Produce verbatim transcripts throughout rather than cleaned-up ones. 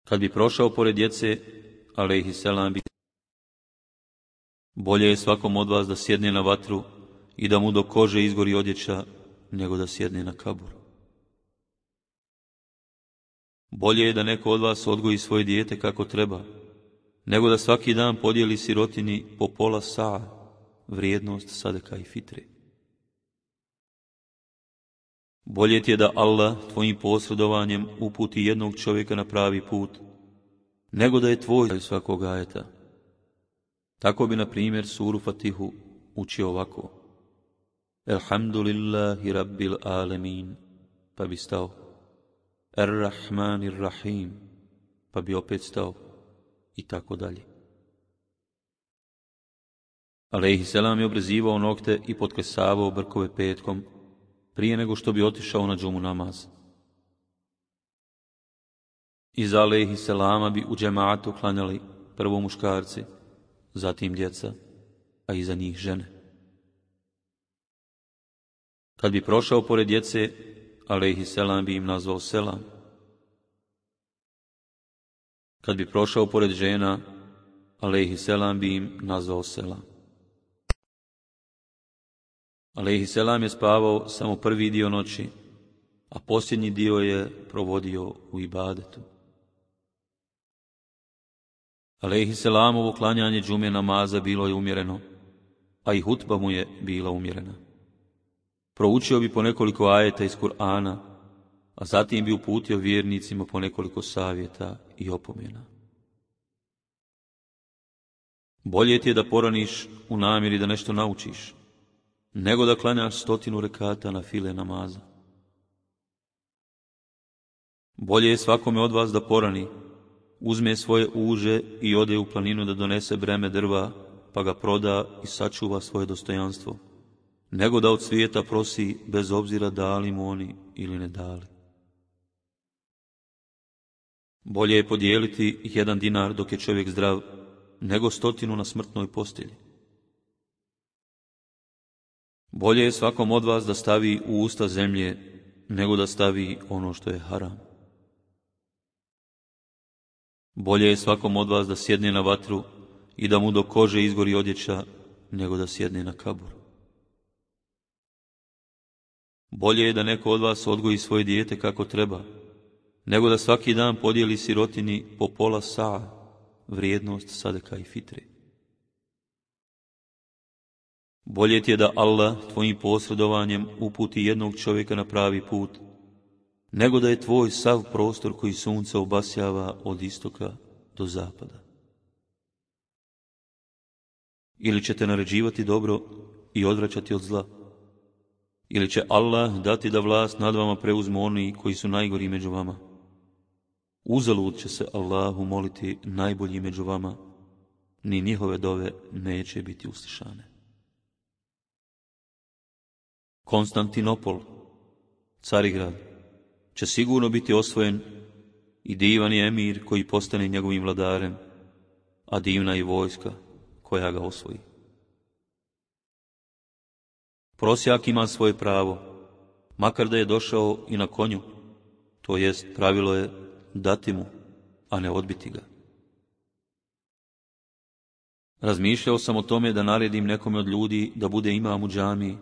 Kad bi prošao pored djece, alejhiselam bi bolje je svakom od vas da sjedne na vatru i da mu do kože izgori odjeća, nego da sjedne na kabur. Bolje je da neko od vas odgoji svoje dijete kako treba, nego da svaki dan podijeli sirotini po pola saa, vrijednost sadeka i fitre. Bolje ti je da Allah tvojim posredovanjem uputi jednog čovjeka na pravi put, nego da je tvoj svakog ajeta. Tako bi, na primjer, suru Fatihu učio ovako: Elhamdulillahi rabbil alemin, pa bi stao. Ar-Rahmanir Rahim, pa bi opet stao. I tako dalje. Alejhiselam je obrezivao nokte i potkresavao brkove petkom, prije nego što bi otišao na džumu namaz. Iza alejhiselama bi u džematu klanjali prvo muškarci, zatim djeca, a iza njih žene. Kad bi prošao pored djece, alejhiselam bi im nazvao selam. Kad bi prošao pored žena, alejhiselam bi im nazvao selam. Alejhiselam je spavao samo prvi dio noći, a posljednji dio je provodio u ibadetu. Alejhiselamovo klanjanje džume namaza bilo je umjereno, a i hutba mu je bila umjerena. Proučio bi po nekoliko ajeta iz Kur'ana, a zatim bi uputio vjernicima po nekoliko savjeta i opomena. Bolje ti je da poraniš u namjeri da nešto naučiš, nego da klanjaš stotinu rekata na file namaza. Bolje je svakome od vas da porani, uzme svoje uže i ode u planinu da donese breme drva, pa ga proda i sačuva svoje dostojanstvo, nego da od svijeta prosi bez obzira dali mu oni ili ne dali. Bolje je podijeliti jedan dinar dok je čovjek zdrav, nego stotinu na smrtnoj postelji. Bolje je svakom od vas da stavi u usta zemlje, nego da stavi ono što je haram. Bolje je svakom od vas da sjedne na vatru i da mu do kože izgori odjeća, nego da sjedne na kabur. Bolje je da neko od vas odgoji svoje dijete kako treba, nego da svaki dan podijeli sirotini po pola saa, vrijednost sadeka i fitre. Bolje ti je da Allah tvojim posredovanjem uputi jednog čovjeka na pravi put, nego da je tvoj sav prostor koji sunce obasjava od istoka do zapada. Ili će te naređivati dobro i odvraćati od zla, ili će Allah dati da vlast nad vama preuzmu oni koji su najgori među vama. Uzalud će se Allahu moliti najbolji među vama, ni njihove dove neće biti uslišane. Konstantinopol, Carigrad, će sigurno biti osvojen i divan je emir koji postane njegovim vladarem, a divna je vojska koja ga osvoji. Prosjak ima svoje pravo, makar da je došao i na konju, to jest pravilo je dati mu, a ne odbiti ga. Razmišljao sam o tome da naredim nekome od ljudi da bude imam u džamiji,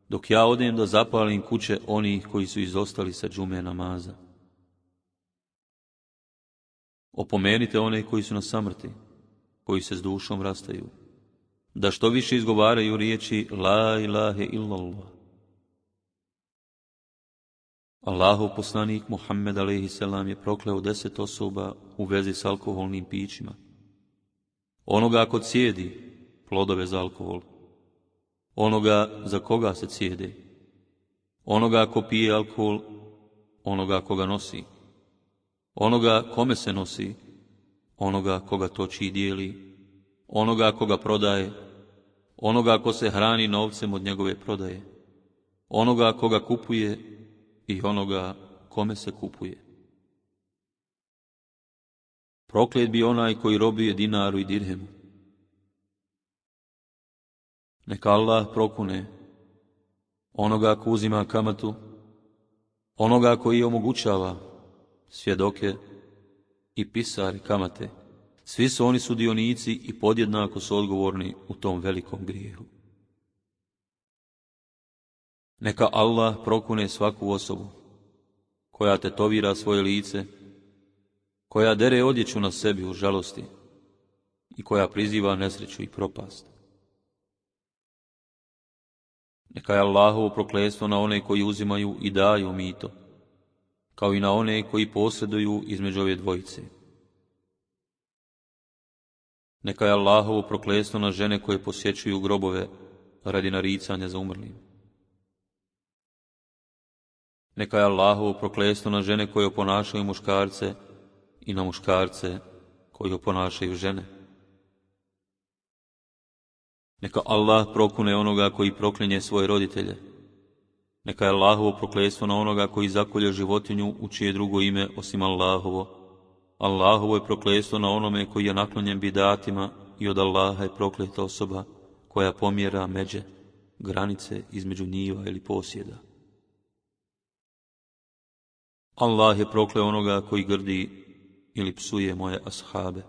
dok ja odem da zapalim kuće onih koji su izostali sa džume namaza. Opomenite one koji su na samrti, koji se s dušom rastaju, da što više izgovaraju riječi la ilahe illallah. Allahov poslanik Muhammed alejhiselam je prokleo deset osoba u vezi s alkoholnim pićima. Onoga ko cijedi plodove za alkohol, onoga za koga se cijede, onoga ko pije alkohol, onoga koga nosi, onoga kome se nosi, onoga koga toči i dijeli, onoga koga prodaje, onoga ko se hrani novcem od njegove prodaje, onoga koga kupuje i onoga kome se kupuje. Proklet bi onaj koji robije dinaru i dirhemu. Neka Allah prokune onoga ko uzima kamatu, onoga koji omogućava svjedoke i pisari kamate, svi su oni sudionici i podjednako su odgovorni u tom velikom grijehu. Neka Allah prokune svaku osobu koja tetovira svoje lice, koja dere odjeću na sebi u žalosti i koja priziva nesreću i propast. Neka je Allahovo prokletstvo na one koji uzimaju i daju mito, kao i na one koji posreduju između ove dvojice. Neka je Allahovo prokletstvo na žene koje posjećuju grobove radi naricanja za umrlim. Neka je Allahovo prokletstvo na žene koje oponašaju muškarce i na muškarce koji oponašaju žene. Neka Allah prokune onoga koji proklinje svoje roditelje. Neka je Allahovo prokletstvo na onoga koji zakolje životinju u čije drugo ime osim Allahovo. Allahovo je prokletstvo na onome koji je naklonjen bidatima i od Allaha je prokleta osoba koja pomjera međe, granice između njiva ili posjeda. Allah je prokleo onoga koji grdi ili psuje moje ashabe.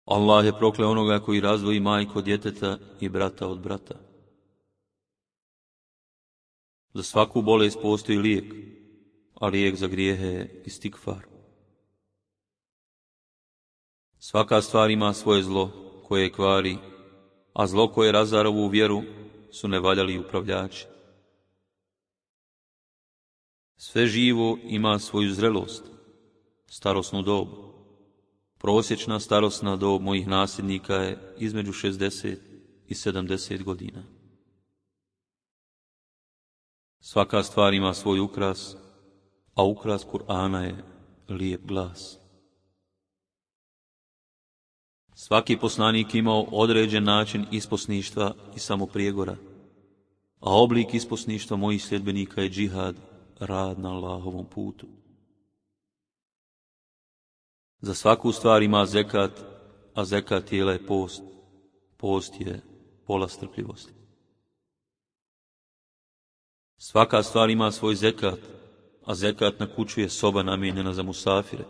Allah je prokleo onoga koji razdvoji majku od djeteta i brata od brata. Za svaku bolest postoji lijek, a lijek za grijehe je istikfar. Svaka stvar ima svoje zlo koje je kvari, a zlo koje razara ovu vjeru su nevaljali upravljači. Sve živo ima svoju zrelost, starosnu dob. Prosječna starosna dob mojih nasljednika je između šezdeset i sedamdeset godina. Svaka stvar ima svoj ukras, a ukras Kur'ana je lijep glas. Svaki poslanik imao određen način isposništva i samoprijegora, a oblik isposništva mojih sljedbenika je džihad, rad na Allahovom putu. Za svaku stvar ima zekat, a zekat tijela je post. Post je pola strpljivosti. Svaka stvar ima svoj zekat, a zekat na kuću je soba namijenjena za musafire.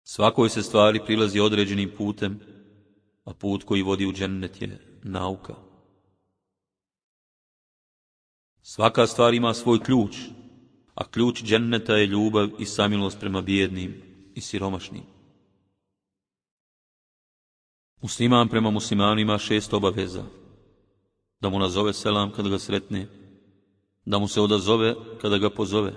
Svakoj se stvari prilazi određenim putem, a put koji vodi u džennet je nauka. Svaka stvar ima svoj ključ, a ključ dženneta je ljubav i samilost prema bijednim i siromašnim. Musliman prema muslimanu ima šest obaveza: da mu nazove selam kada ga sretne, da mu se odazove kada ga pozove,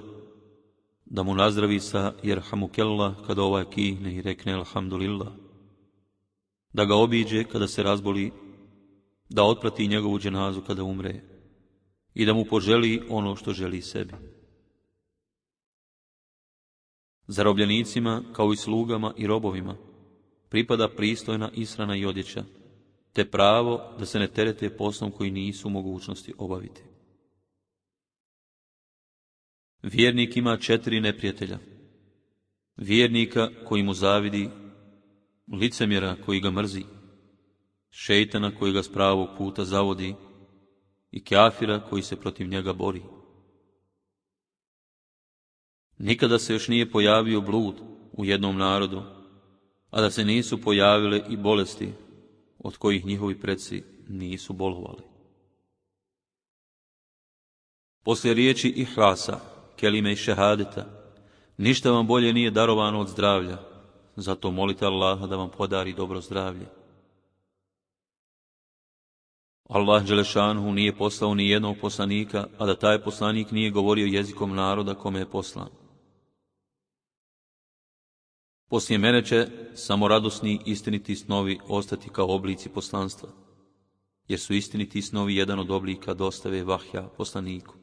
da mu nazdravi sa jerhamukellah kada ovaj kihne i rekne alhamdulillah, da ga obiđe kada se razboli, da otprati njegovu dženazu kada umre i da mu poželi ono što želi sebi. Zarobljenicima, kao i slugama i robovima, pripada pristojna ishrana i odjeća, te pravo da se ne terete poslom koji nisu u mogućnosti obaviti. Vjernik ima četiri neprijatelja: vjernika koji mu zavidi, licemjera koji ga mrzi, šejtana koji ga s pravog puta zavodi i kafira koji se protiv njega bori. Nikada se još nije pojavio blud u jednom narodu, a da se nisu pojavile i bolesti od kojih njihovi preci nisu bolovali. Poslije riječi ihlasa, kelime i šehadeta, ništa vam bolje nije darovano od zdravlja, zato molite Allaha da vam podari dobro zdravlje. Allah dželešanuhu nije poslao ni jednog poslanika, a da taj poslanik nije govorio jezikom naroda kome je poslan. Poslije mene će samo radosni istiniti snovi ostati kao oblici poslanstva, jer su istiniti snovi jedan od oblika dostave vahja poslaniku.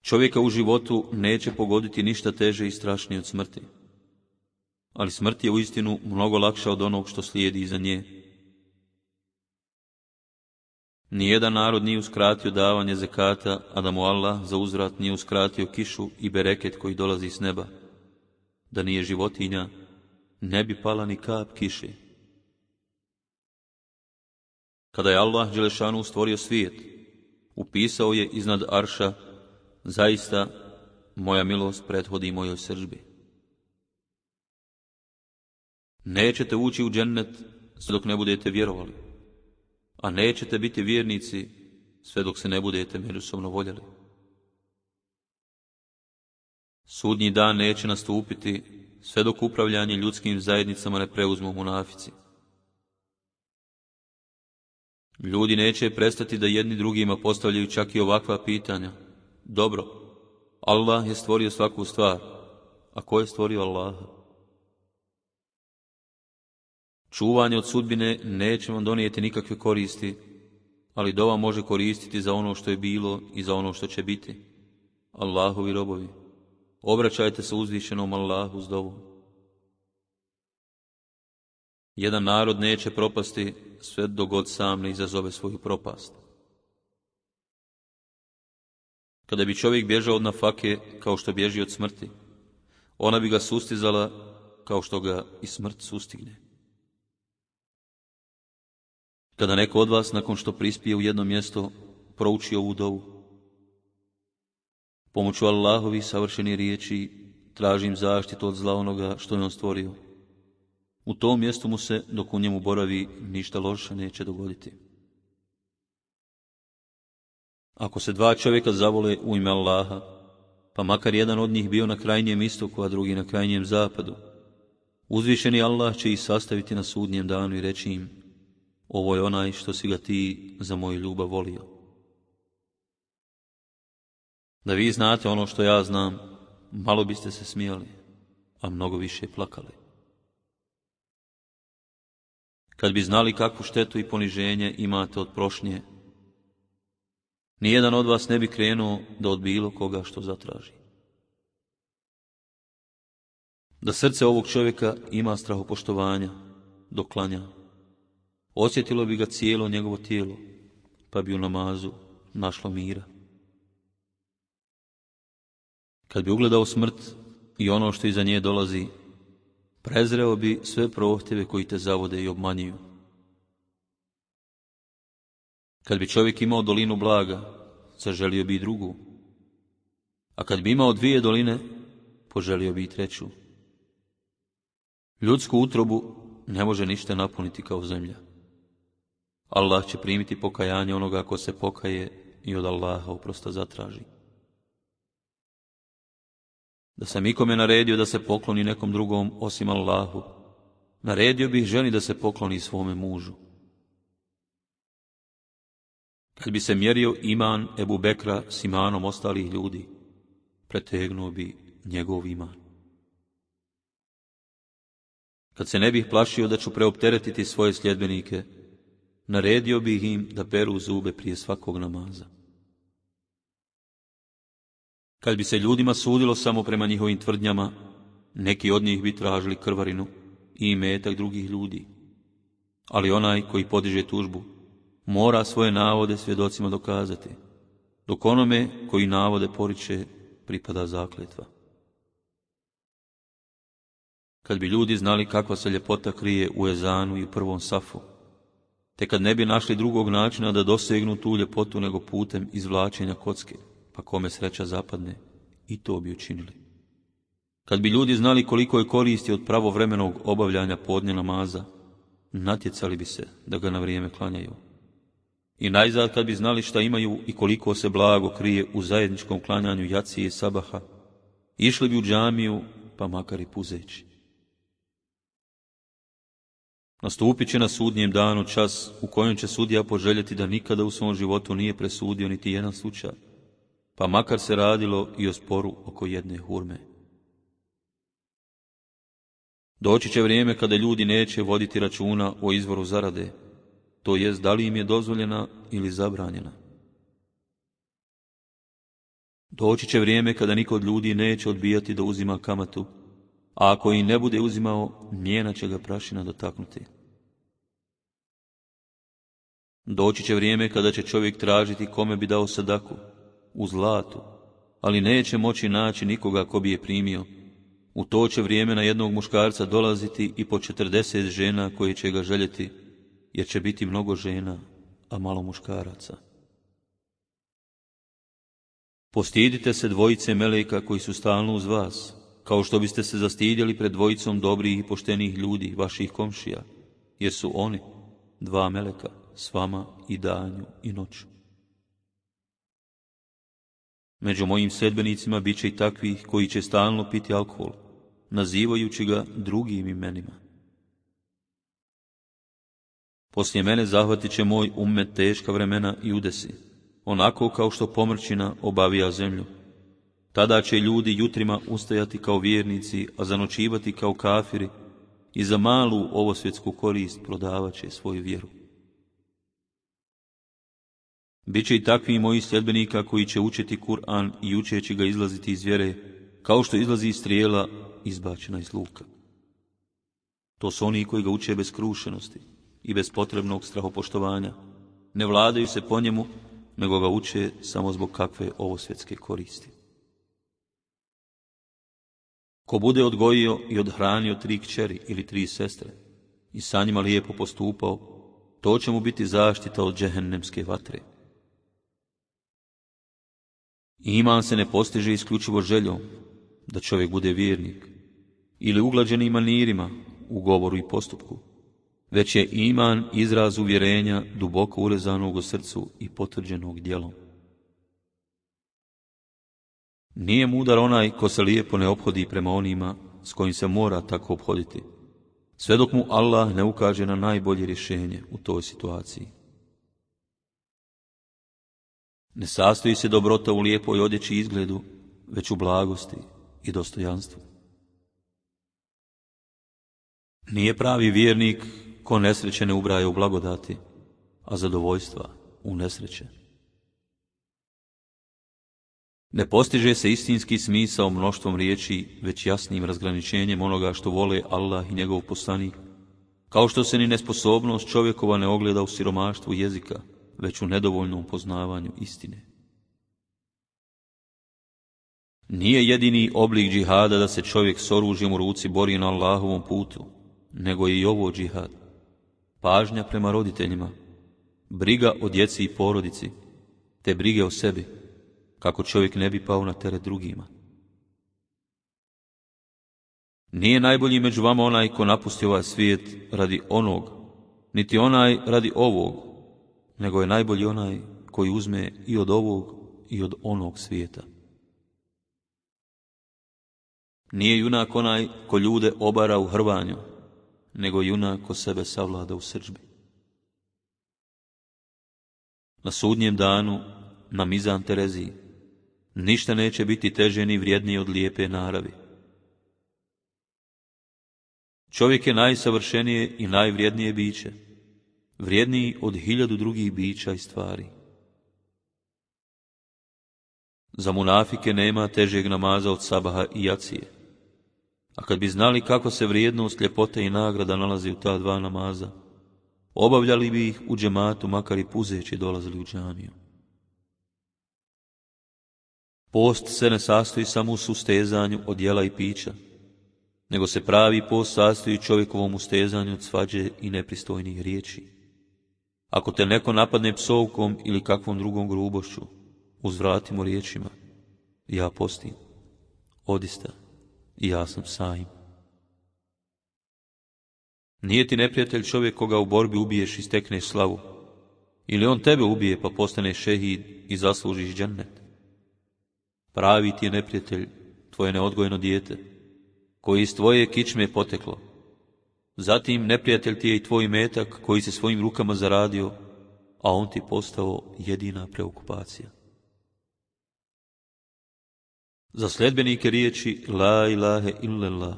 Čovjeka u životu neće pogoditi ništa teže i strašnije od smrti, ali smrt je uistinu mnogo lakša od onog što slijedi iza nje. Nijedan narod nije uskratio davanje zekata, a da mu Allah za uzvrat nije uskratio kišu i bereket koji dolazi s neba. Da nije životinja, ne bi pala ni kap kiše. Kada je Allah dželešanu stvorio svijet, upisao je iznad arša zaista moja milost prethodi mojoj srdbi. Nećete ući u džennet sve dok ne budete vjerovali, a nećete biti vjernici sve dok se ne budete međusobno voljeli. Sudnji dan neće nastupiti sve dok upravljanje ljudskim zajednicama ne preuzmu munafici. Ljudi neće prestati da jedni drugima postavljaju čak i ovakva pitanja. Dobro, Allah je stvorio svaku stvar, a ko je stvorio Allaha? Čuvanje od sudbine neće vam donijeti nikakve koristi, ali dova može koristiti za ono što je bilo i za ono što će biti. Allahovi robovi, obraćajte se uzvišenom Allahu s dovom. Jedan narod neće propasti sve dok god sam ne izazove svoju propast. Kada bi čovjek bježao od nafake kao što bježi od smrti, ona bi ga sustizala kao što ga i smrt sustigne. Kada neko od vas nakon što prispije u jedno mjesto prouči ovu dovu: pomoću Allahovi savršeni riječi tražim zaštitu od zla onoga što je on stvorio. U tom mjestu mu se, dok u njemu boravi, ništa loše neće dogoditi. Ako se dva čovjeka zavole u ime Allaha, pa makar jedan od njih bio na krajnjem istoku, a drugi na krajnjem zapadu, uzvišeni Allah će ih sastaviti na sudnjem danu i reći im: ovo je onaj što si ga ti za moju ljubav volio. Da vi znate ono što ja znam, malo biste se smijali, a mnogo više plakali. Kad bi znali kakvu štetu i poniženje imate od prošnje, nijedan od vas ne bi krenuo da od bilo koga što zatraži. Da srce ovog čovjeka ima strahopoštovanja dok klanja, osjetilo bi ga cijelo njegovo tijelo, pa bi u namazu našlo mira. Kad bi ugledao smrt i ono što iza nje dolazi, prezreo bi sve prohtjeve koji te zavode i obmanjuju. Kad bi čovjek imao dolinu blaga, zaželio bi i drugu, a kad bi imao dvije doline, poželio bi i treću. Ljudsku utrobu ne može ništa napuniti kao zemlja. Allah će primiti pokajanje onoga ko se pokaje i od Allaha oprosta zatraži. Da sam ikome naredio da se pokloni nekom drugom osim Allahu, naredio bih ženi da se pokloni svome mužu. Kad bi se mjerio iman Ebu Bekra s imanom ostalih ljudi, pretegnuo bi njegov iman. Kad se ne bih plašio da ću preopteretiti svoje sljedbenike, naredio bih im da peru zube prije svakog namaza. Kad bi se ljudima sudilo samo prema njihovim tvrdnjama, neki od njih bi tražili krvarinu i imetak drugih ljudi. Ali onaj koji podiže tužbu mora svoje navode svjedocima dokazati, dok onome koji navode poriče pripada zakletva. Kad bi ljudi znali kakva se ljepota krije u ezanu i u prvom safu, te kad ne bi našli drugog načina da dosegnu tu ljepotu nego putem izvlačenja kocke, pa kome sreća zapadne, i to bi učinili. Kad bi ljudi znali koliko je koristi od pravovremenog obavljanja podne namaza, natjecali bi se da ga na vrijeme klanjaju. I najzad kad bi znali šta imaju i koliko se blago krije u zajedničkom klanjanju jacije i sabaha, išli bi u džamiju, pa makar i puzeći. Nastupit će na sudnjem danu čas u kojem će sudija poželjeti da nikada u svom životu nije presudio niti jedan slučaj, pa makar se radilo i o sporu oko jedne hurme. Doći će vrijeme kada ljudi neće voditi računa o izvoru zarade, to jest da li im je dozvoljena ili zabranjena. Doći će vrijeme kada niko od ljudi neće odbijati da uzima kamatu, a ako i ne bude uzimao, njena će ga prašina dotaknuti. Doći će vrijeme kada će čovjek tražiti kome bi dao sadaku, u zlatu, ali neće moći naći nikoga ko bi je primio. U to će vrijeme na jednog muškarca dolaziti i po četrdeset žena koje će ga željeti, jer će biti mnogo žena, a malo muškaraca. Postidite se dvojice meleka koji su stalno uz vas, kao što biste se zastidjeli pred dvojicom dobrih i poštenih ljudi, vaših komšija, jer su oni, dva meleka, s vama i danju i noću. Među mojim sedbenicima bit će i takvih koji će stalno piti alkohol, nazivajući ga drugim imenima. Poslije mene zahvatit će moj ummet teška vremena i udesi, onako kao što pomrčina obavija zemlju. Tada će ljudi jutrima ustajati kao vjernici, a zanočivati kao kafiri i za malu ovosvjetsku korist prodavat će svoju vjeru. Biće i takvi moji sljedbenika koji će učiti Kur'an i učeći ga izlaziti iz vjere, kao što izlazi strijela izbačena iz luka. To su oni koji ga uče bez krušenosti i bez potrebnog strahopoštovanja. Ne vladaju se po njemu, nego ga uče samo zbog kakve ovosvjetske koristi. Ko bude odgojio i odhranio tri kćeri ili tri sestre i sa njima lijepo postupao, to će mu biti zaštita od džehennemske vatre. Iman se ne postiže isključivo željom da čovjek bude vjernik ili uglađenim manirima u govoru i postupku, već je iman izraz uvjerenja duboko urezanog u srcu i potvrđenog djelom. Nije mudar onaj ko se lijepo ne ophodi prema onima s kojim se mora tako ophoditi, sve dok mu Allah ne ukaže na najbolje rješenje u toj situaciji. Ne sastoji se dobrota u lijepoj odjeći i izgledu, već u blagosti i dostojanstvu. Nije pravi vjernik ko nesreće ne ubraja u blagodati, a zadovoljstva u nesreće. Ne postiže se istinski smisao mnoštvom riječi, već jasnim razgraničenjem onoga što vole Allah i njegov poslanik, kao što se ni nesposobnost čovjekova ne ogleda u siromaštvu jezika, već u nedovoljnom poznavanju istine. Nije jedini oblik džihada da se čovjek s oružjem u ruci bori na Allahovom putu, nego je i ovo džihad. Pažnja prema roditeljima, briga o djeci i porodici, te brige o sebi, kako čovjek ne bi pao na teret drugima. Nije najbolji među vama onaj ko napusti ovaj svijet radi onog, niti onaj radi ovog, nego je najbolji onaj koji uzme i od ovog i od onog svijeta. Nije junak onaj ko ljude obara u hrvanju, nego junak ko sebe savlada u srdžbi. Na sudnjem danu, na mizan Tereziji, ništa neće biti teže ni vrijednije od lijepe naravi. Čovjek je najsavršenije i najvrijednije biće, vrijedniji od hiljadu drugih bića i stvari. Za munafike nema težeg namaza od sabaha i jacije, a kad bi znali kako se vrijednost, ljepote i nagrada nalazi u ta dva namaza, obavljali bi ih u džematu, makar i puzeći dolazili u džamiju. Post se ne sastoji samo u sustezanju od jela i pića, nego se pravi post sastoji čovjekovom ustezanju od svađe i nepristojnih riječi. Ako te neko napadne psovkom ili kakvom drugom grubošću, uzvratimo riječima: ja postim, odista, i ja sam saim. Nije ti neprijatelj čovjek koga u borbi ubiješ i stekneš slavu, ili on tebe ubije pa postaneš šehid i zaslužiš džennet. Pravi ti je neprijatelj tvoje neodgojeno dijete, koji iz tvoje kičme poteklo. Zatim neprijatelj ti je i tvoj metak koji se svojim rukama zaradio, a on ti postao jedina preokupacija. Za sljedbenike riječi la ilahe illallah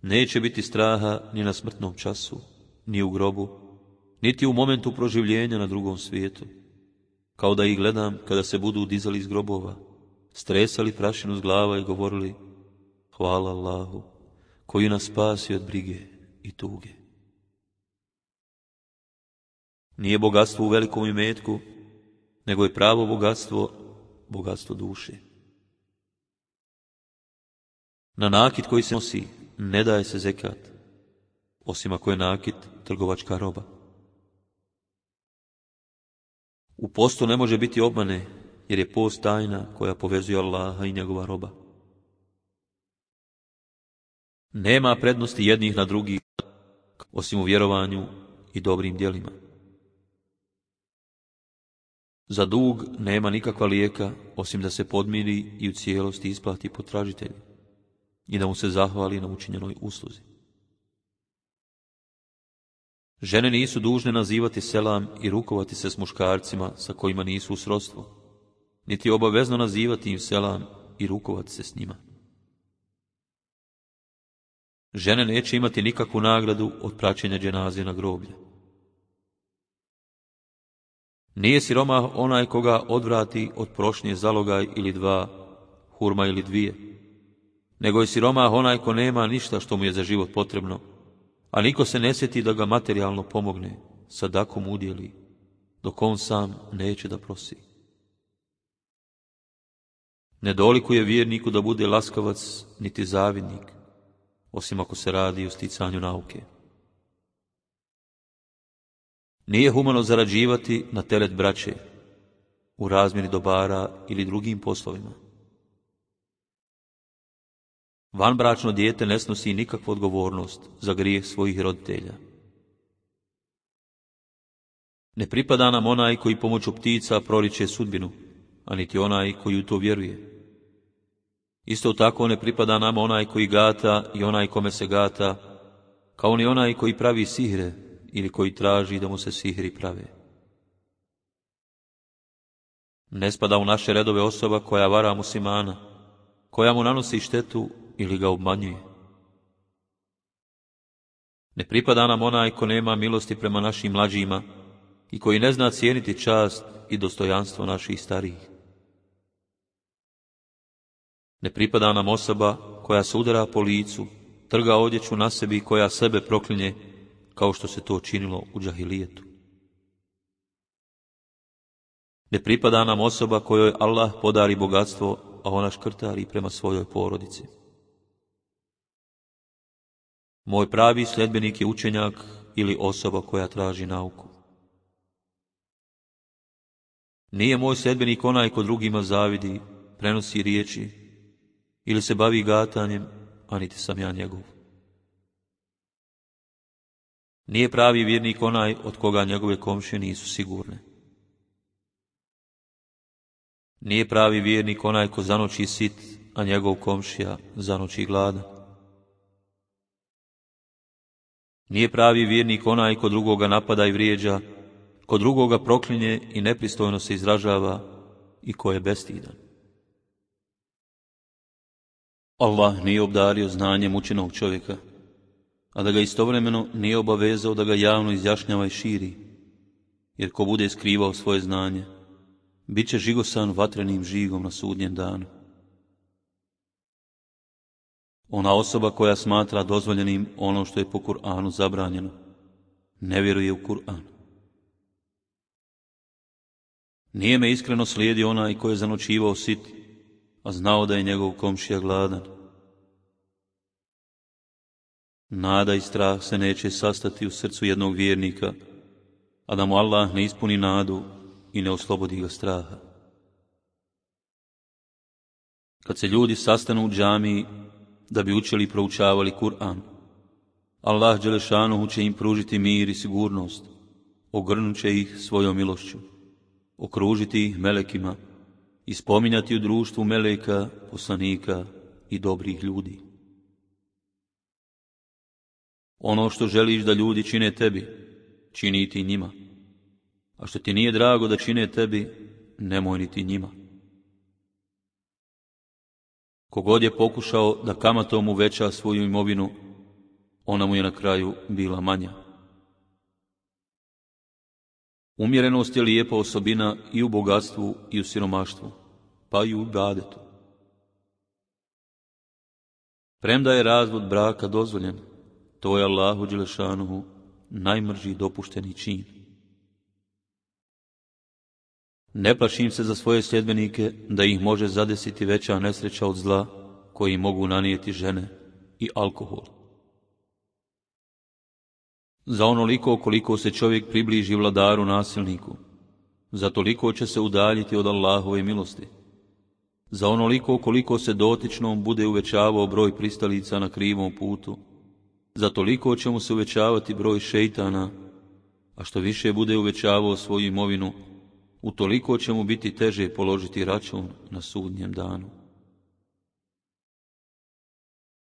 neće biti straha ni na smrtnom času, ni u grobu, niti u momentu proživljenja na drugom svijetu, kao da ih gledam kada se budu dizali iz grobova, stresali prašinu s glava i govorili: hvala Allahu koji nas spasi od brige i tuge. Nije bogatstvo u velikom imetku, nego je pravo bogatstvo, bogatstvo duše. Na nakit koji se nosi ne daje se zekat, osim ako je nakit trgovačka roba. U postu ne može biti obmane, jer je post tajna koja povezuje Allaha i njegova roba. Nema prednosti jednih na drugih, osim u vjerovanju i dobrim djelima. Za dug nema nikakva lijeka, osim da se podmiri i u cijelosti isplati potražitelju i da mu se zahvali na učinjenoj usluzi. Žene nisu dužne nazivati selam i rukovati se s muškarcima sa kojima nisu u srodstvu, niti je obavezno nazivati im selam i rukovati se s njima. Žene neće imati nikakvu nagradu od praćenja dženaze na groblje. Nije siromah onaj koga odvrati od prošnje zalogaj ili dva, hurma ili dvije, nego je siromah onaj ko nema ništa što mu je za život potrebno, a niko se ne sjeti da ga materijalno pomogne, sadakom udjeli, dok on sam neće da prosi. Ne dolikuje vjerniku da bude laskavac niti zavidnik, osim ako se radi o sticanju nauke. Nije humano zarađivati na teret braće, u razmjeni dobara ili drugim poslovima. Vanbračno dijete ne snosi nikakvu odgovornost za grijeh svojih roditelja. Ne pripada nam onaj koji pomoću ptica proriče sudbinu, a niti onaj koji u to vjeruje. Isto tako ne pripada nam onaj koji gata i onaj kome se gata, kao ni onaj koji pravi sihre ili koji traži da mu se sihri prave. Ne spada u naše redove osoba koja vara muslimana, koja mu nanosi štetu ili ga obmanjuje. Ne pripada nam onaj ko nema milosti prema našim mlađima i koji ne zna cijeniti čast i dostojanstvo naših starijih. Ne pripada nam osoba koja se udara po licu, trga odjeću na sebi i koja sebe proklinje, kao što se to činilo u džahilijetu. Ne pripada nam osoba kojoj Allah podari bogatstvo, a ona škrtari prema svojoj porodici. Moj pravi sljedbenik je učenjak ili osoba koja traži nauku. Nije moj sljedbenik onaj ko drugima zavidi, prenosi riječi ili se bavi gatanjem, a niti sam ja njegov. Nije pravi vjernik onaj od koga njegove komšije nisu sigurne. Nije pravi vjernik onaj ko zanoći sit, a njegov komšija zanoći gladan. Nije pravi vjernik onaj ko drugoga napada i vrijeđa, ko drugoga proklinje i nepristojno se izražava i ko je bestidan. Allah nije obdario znanjem učenog čovjeka, a da ga istovremeno nije obavezao da ga javno izjašnjava i širi, jer ko bude skrivao svoje znanje, bit će žigosan vatrenim žigom na sudnjem danu. Ona osoba koja smatra dozvoljenim ono što je po Kur'anu zabranjeno, ne vjeruje u Kur'an. Nije me iskreno slijedio onaj ko je zanoćivao sit, a znao da je njegov komšija gladan. Nada i strah se neće sastati u srcu jednog vjernika, a da mu Allah ne ispuni nadu i ne oslobodi ga straha. Kad se ljudi sastanu u džamiji da bi učili i proučavali Kur'an, Allah dželešanuhu će im pružiti mir i sigurnost, ogrnut će ih svojom milošću, okružiti ih melekima i spominjati u društvu meleka, poslanika i dobrih ljudi. Ono što želiš da ljudi čine tebi, čini ti njima, a što ti nije drago da čine tebi, nemoj niti njima. Kogod je pokušao da kamatom uveća svoju imovinu, ona mu je na kraju bila manja. Umjerenost je lijepa osobina i u bogatstvu i u siromaštvu, pa i u ibadetu. Premda je razvod braka dozvoljen, to je Allahu dželešanuhu najmrži dopušteni čin. Ne plašim se za svoje sljedbenike da ih može zadesiti veća nesreća od zla koji mogu nanijeti žene i alkohol. Za onoliko koliko se čovjek približi vladaru nasilniku, za toliko će se udaljiti od Allahove milosti. Za onoliko koliko se dotičnom bude uvećavao broj pristalica na krivom putu, za toliko će mu se uvećavati broj šejtana, a što više bude uvećavao svoju imovinu, utoliko će mu biti teže položiti račun na sudnjem danu.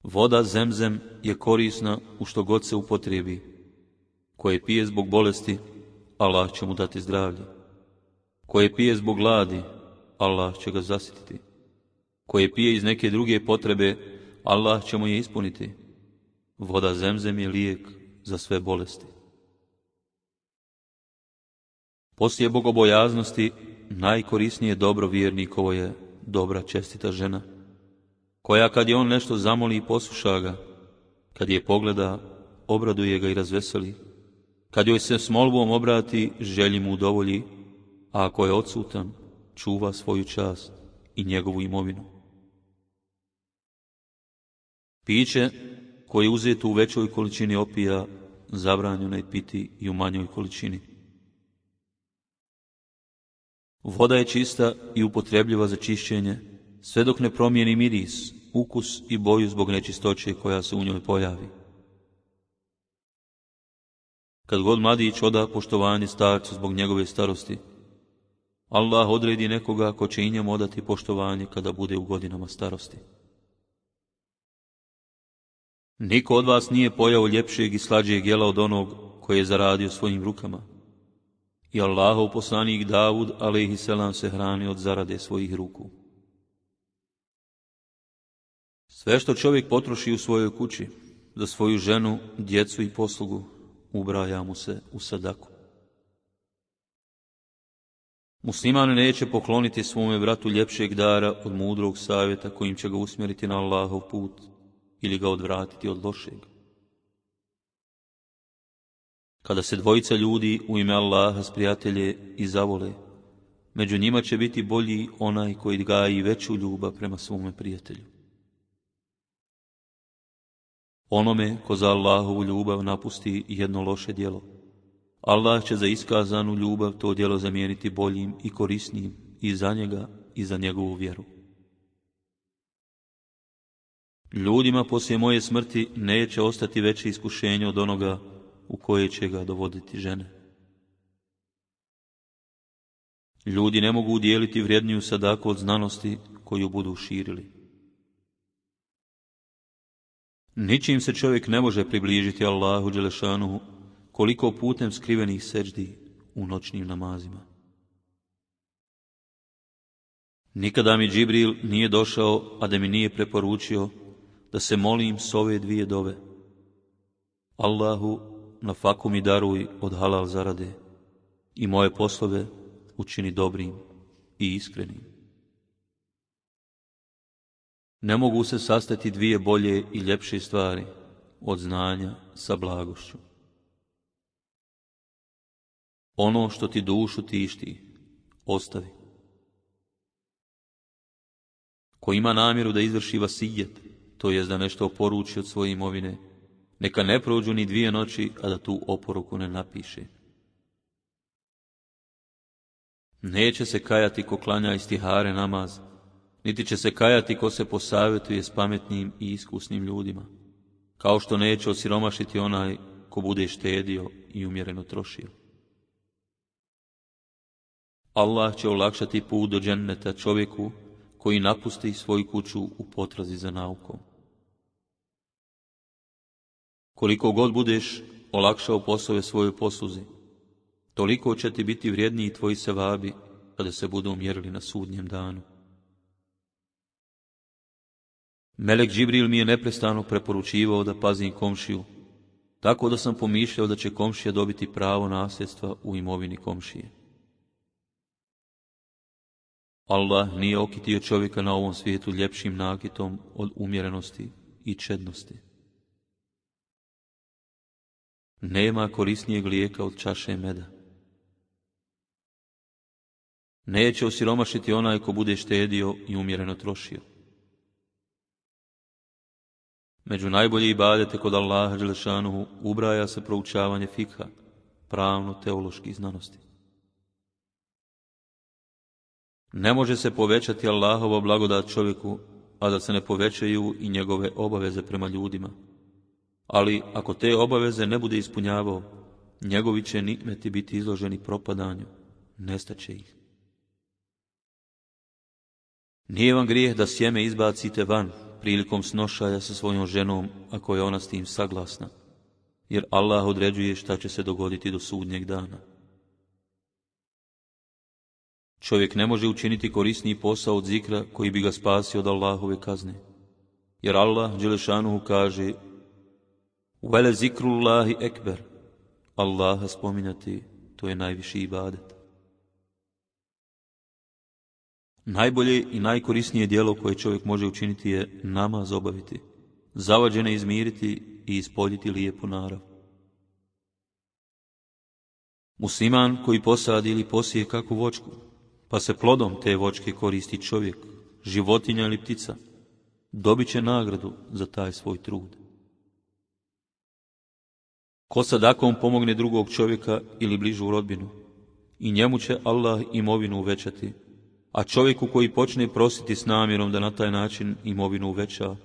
Voda Zemzem je korisna u što god se upotrebi. Koje pije zbog bolesti, Allah će mu dati zdravlje. Koje pije zbog gladi, Allah će ga zasititi. Koje pije iz neke druge potrebe, Allah će mu je ispuniti. Voda Zemzem je lijek za sve bolesti. Poslije bogobojaznosti najkorisnije dobro vjernikovo je dobra čestita žena, koja kad je on nešto zamoli i posluša ga, kad je pogleda, obraduje ga i razveseli, kad joj se s molbom obrati, želji mu udovolji, a ako je odsutan, čuva svoju čast i njegovu imovinu. Piće koje je uzeto u većoj količini opija, zabranjeno je piti i u manjoj količini. Voda je čista i upotrebljiva za čišćenje, sve dok ne promijeni miris, ukus i boju zbog nečistoće koja se u njoj pojavi. Kad god mladić oda poštovanje starcu zbog njegove starosti, Allah odredi nekoga ko će i njemu odati poštovanje kada bude u godinama starosti. Niko od vas nije pojao ljepšeg i slađeg jela od onog koje je zaradio svojim rukama. I Allahov poslanik Davud, alejhiselam, se hrani od zarade svojih ruku. Sve što čovjek potroši u svojoj kući, za svoju ženu, djecu i poslugu, ubraja mu se u sadaku. Musliman neće pokloniti svome bratu ljepšeg dara od mudrog savjeta kojim će ga usmjeriti na Allahov put ili ga odvratiti od lošeg. Kada se dvojica ljudi u ime Allaha sprijatelje i zavole, među njima će biti bolji onaj koji gaji veću ljubav prema svome prijatelju. Onome ko za Allahovu ljubav napusti jedno loše djelo, Allah će za iskazanu ljubav to djelo zamijeniti boljim i korisnijim i za njega i za njegovu vjeru. Ljudima poslije moje smrti neće ostati veće iskušenje od onoga u koje će ga dovoditi žene. Ljudi ne mogu udijeliti vrijedniju sadaku od znanosti koju budu širili. Ničim se čovjek ne može približiti Allahu dželešanuhu koliko putem skrivenih seđdi u noćnim namazima. Nikada mi Džibril nije došao, a da mi nije preporučio da se molim s ove dvije dove. Allahu, na faku mi daruj od halal zarade i moje poslove učini dobrim i iskrenim. Ne mogu se sastati dvije bolje i ljepše stvari od znanja sa blagošću. Ono što ti dušu tišti, ostavi. Ko ima namjeru da izvrši vasijet, to jest da nešto oporuči od svoje imovine, neka ne prođu ni dvije noći, a da tu oporuku ne napiše. Neće se kajati ko klanja istihare namaz, niti će se kajati ko se posavjetuje s pametnim i iskusnim ljudima, kao što neće osiromašiti onaj ko bude štedio i umjereno trošio. Allah će olakšati put do dženneta čovjeku koji napusti svoju kuću u potrazi za naukom. Koliko god budeš olakšao poslove svojoj posluzi, toliko će ti biti vrijedniji tvoji sevabi kada se budu mjerili na sudnjem danu. Melek Džibril mi je neprestano preporučivao da pazim komšiju, tako da sam pomišljao da će komšija dobiti pravo nasljedstva u imovini komšije. Allah nije okitio čovjeka na ovom svijetu ljepšim nakitom od umjerenosti i čednosti. Nema korisnijeg lijeka od čaše meda. Neće osiromašiti onaj ko bude štedio i umjereno trošio. Među najbolje ibadete kod Allaha dželešanuhu ubraja se proučavanje fikha, pravno-teoloških znanosti. Ne može se povećati Allahova blagodat čovjeku, a da se ne povećaju i njegove obaveze prema ljudima. Ali ako te obaveze ne bude ispunjavao, njegovi će nimeti biti izloženi propadanju, nestaće ih. Nije vam grijeh da sjeme izbacite van prilikom snošaja sa svojom ženom, ako je ona s tim saglasna, jer Allah određuje šta će se dogoditi do sudnjeg dana. Čovjek ne može učiniti korisniji posao od zikra koji bi ga spasio od Allahove kazne, jer Allah dželešanuhu kaže: "Vele zikrullahi ekber", Allaha spominjati, to je najviši ibadet. Najbolje i najkorisnije djelo koje čovjek može učiniti je namaz obaviti, zavađene izmiriti i ispoljiti lijepu narav. Musliman koji posadi ili posije kakvu voćku, pa se plodom te voćke koristi čovjek, životinja ili ptica, dobit će nagradu za taj svoj trud. Ko sadakom pomogne drugog čovjeka ili bližu rodbinu, i njemu će Allah imovinu uvećati, a čovjeku koji počne prositi s namjerom da na taj način imovinu uveća,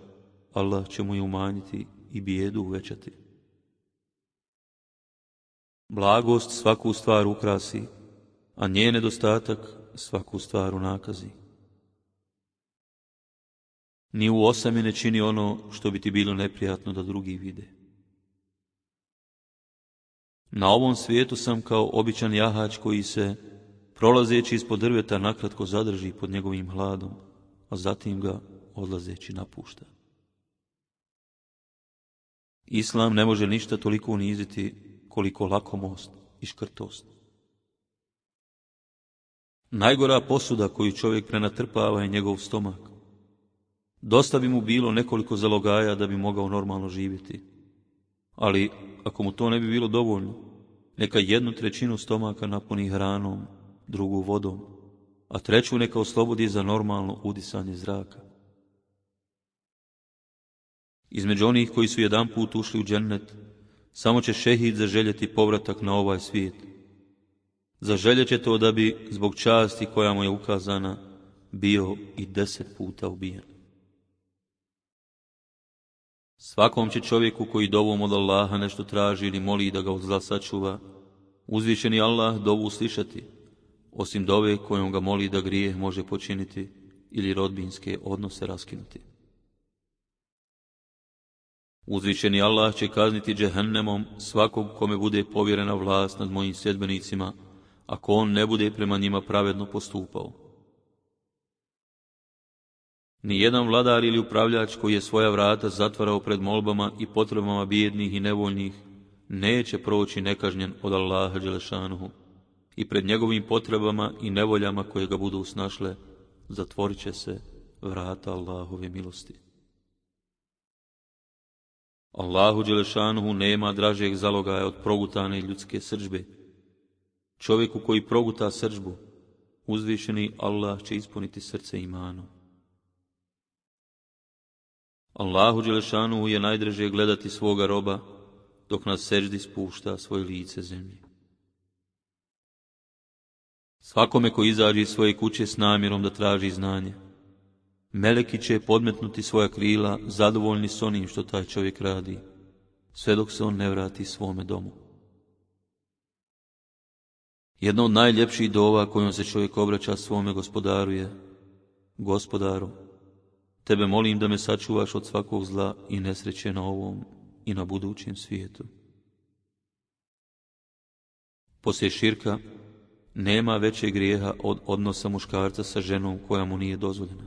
Allah će mu je umanjiti i bijedu uvećati. Blagost svaku stvar ukrasi, a njen nedostatak svaku stvar unakazi. Ni u osami ne čini ono što bi ti bilo neprijatno da drugi vide. Na ovom svijetu sam kao običan jahač koji se, prolazeći ispod drveta, nakratko zadrži pod njegovim hladom, a zatim ga odlazeći napušta. Islam ne može ništa toliko uniziti koliko lakomost i škrtost. Najgora posuda koju čovjek prenatrpava je njegov stomak. Dosta bi mu bilo nekoliko zalogaja da bi mogao normalno živjeti. Ali ako mu to ne bi bilo dovoljno, neka jednu trećinu stomaka napuni hranom, drugu vodom, a treću neka oslobodi za normalno udisanje zraka. Između onih koji su jedan put ušli u džennet, samo će šehid zaželjeti povratak na ovaj svijet. Zaželjet će to da bi, zbog časti koja mu je ukazana, bio i deset puta ubijen. Svakom će čovjeku koji dovom od Allaha nešto traži ili moli da ga od zla sačuva, uzvišeni Allah dovu slišati, osim dove kojom ga moli da grijeh može počiniti ili rodbinske odnose raskinuti. Uzvišeni Allah će kazniti džehennemom svakog kome bude povjerena vlast nad mojim sljedbenicima, ako on ne bude prema njima pravedno postupao. Nijedan vladar ili upravljač koji je svoja vrata zatvarao pred molbama i potrebama bijednih i nevoljnih, neće proći nekažnjen od Allaha dželešanuhu, i pred njegovim potrebama i nevoljama koje ga budu snašle, zatvorit će se vrata Allahove milosti. Allahu dželešanuhu nema dražeg zalogaja od progutane ljudske srdžbe. Čovjeku koji proguta srdžbu, uzvišeni Allah će ispuniti srce imanom. Allahu dželešanuhu je najdraže gledati svoga roba, dok na seždi spušta svoje lice zemlji. Svakome ko izađe iz svoje kuće s namjerom da traži znanje, meleki će podmetnuti svoja krila, zadovoljni s onim što taj čovjek radi, sve dok se on ne vrati svome domu. Jedna od najljepših dova kojom se čovjek obraća svome gospodaru je: Gospodaru, tebe molim da me sačuvaš od svakog zla i nesreće na ovom i na budućem svijetu. Poslije širka nema većeg grijeha od odnosa muškarca sa ženom koja mu nije dozvoljena.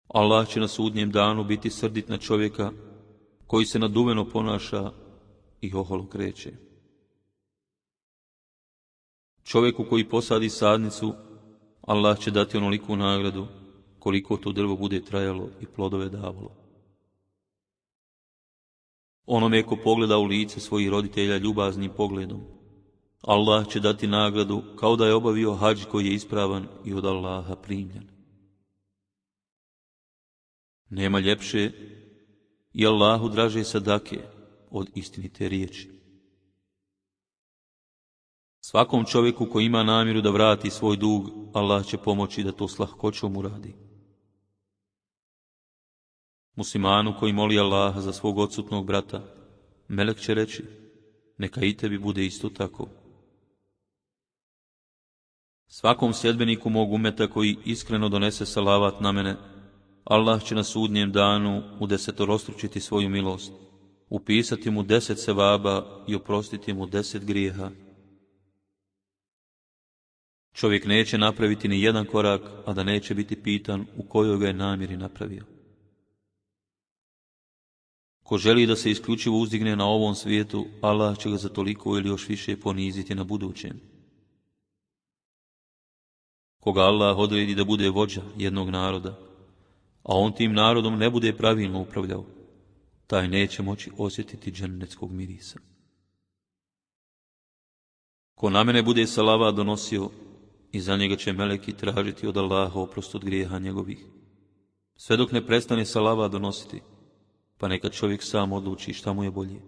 Allah će na sudnjem danu biti srdit na čovjeka koji se naduveno ponaša i oholo kreće. Čovjeku koji posadi sadnicu, Allah će dati onoliku nagradu koliko to drvo bude trajalo i plodove davalo. Onome ko pogleda u lice svojih roditelja ljubaznim pogledom, Allah će dati nagradu kao da je obavio hadž koji je ispravan i od Allaha primljen. Nema ljepše i Allahu draže sadake od istinite riječi. Svakom čovjeku koji ima namjeru da vrati svoj dug, Allah će pomoći da to s lahkoćom uradi. Muslimanu koji moli Allaha za svog odsutnog brata, melek će reći, neka i tebi bude isto tako. Svakom sljedbeniku mog umeta koji iskreno donese salavat na mene, Allah će na sudnjem danu udesetorostručiti svoju milost, upisati mu deset sevaba i oprostiti mu deset grijeha. Čovjek neće napraviti ni jedan korak, a da neće biti pitan u kojoj ga je namjeri napravio. Ko želi da se isključivo uzdigne na ovom svijetu, Allah će ga za toliko ili još više poniziti na budućem. Koga Allah odredi da bude vođa jednog naroda, a on tim narodom ne bude pravilno upravljao, taj neće moći osjetiti džennetskog mirisa. Ko na mene bude salavat donosio, i za njega će meleki tražiti od Allaha oprost od grijeha njegovih, sve dok ne prestane salavat donositi, pa neka čovjek sam odluči šta mu je bolje,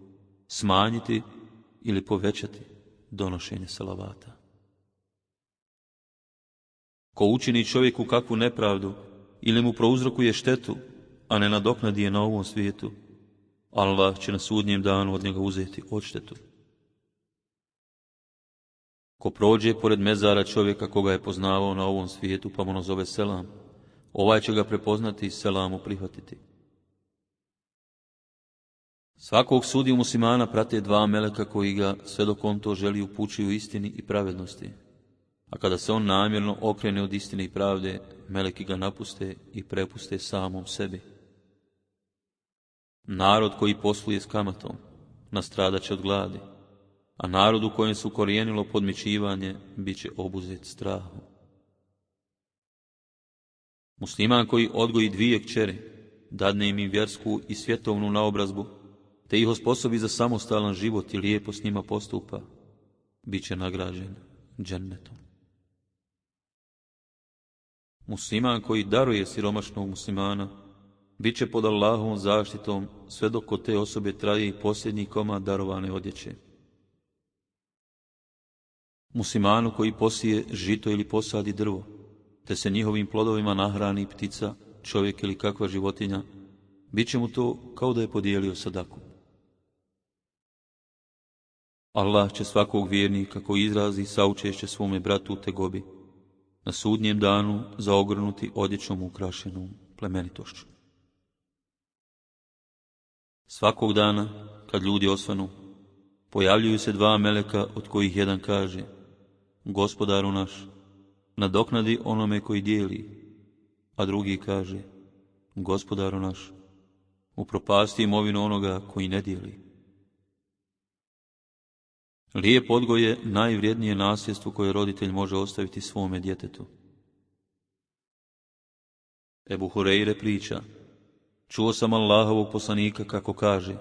smanjiti ili povećati donošenje salavata. Ko učini čovjeku kakvu nepravdu ili mu prouzrokuje štetu, a ne nadoknadi je na ovom svijetu, Allah će na sudnjem danu od njega uzeti odštetu. Ko prođe pored mezara čovjeka koga je poznavao na ovom svijetu, pa mu nazove selam, ovaj će ga prepoznati i selamu prihvatiti. Svakog sudiju muslimana prate dva meleka koji ga, sve dok on to želi, upućuju istini i pravednosti. A kada se on namjerno okrene od istine i pravde, meleki ga napuste i prepuste samom sebi. Narod koji posluje s kamatom nastradat će od gladi, a narod u kojem su korijenilo podmićivanje bit će obuzet strahom. Musliman koji odgoji dvije kćeri, dadne im i vjersku i svjetovnu naobrazbu, te ih osposobi za samostalan život i lijepo s njima postupa, bit će nagrađen džennetom. Musliman koji daruje siromašnog muslimana, bit će pod Allahovom zaštitom sve dok kod te osobe traje i posljednji komad darovane odjeće. Muslimanu koji posije žito ili posadi drvo, te se njihovim plodovima nahrani ptica, čovjek ili kakva životinja, bit će mu to kao da je podijelio sadaku. Allah će svakog vjernika koji izrazi saučešće svome bratu u tegobi, na sudnjem danu zaogrnuti odjećom ukrašenom plemenitošću. Svakog dana, kad ljudi osvanu, pojavljuju se dva meleka od kojih jedan kaže: Gospodaru naš, nadoknadi onome koji dijeli, a drugi kaže: Gospodaru naš, upropasti imovinu onoga koji ne dijeli. Lijep odgoj je najvrijednije nasljedstvo koje roditelj može ostaviti svome djetetu. Ebu Hureyre priča: čuo sam Allahovog poslanika kako kaže: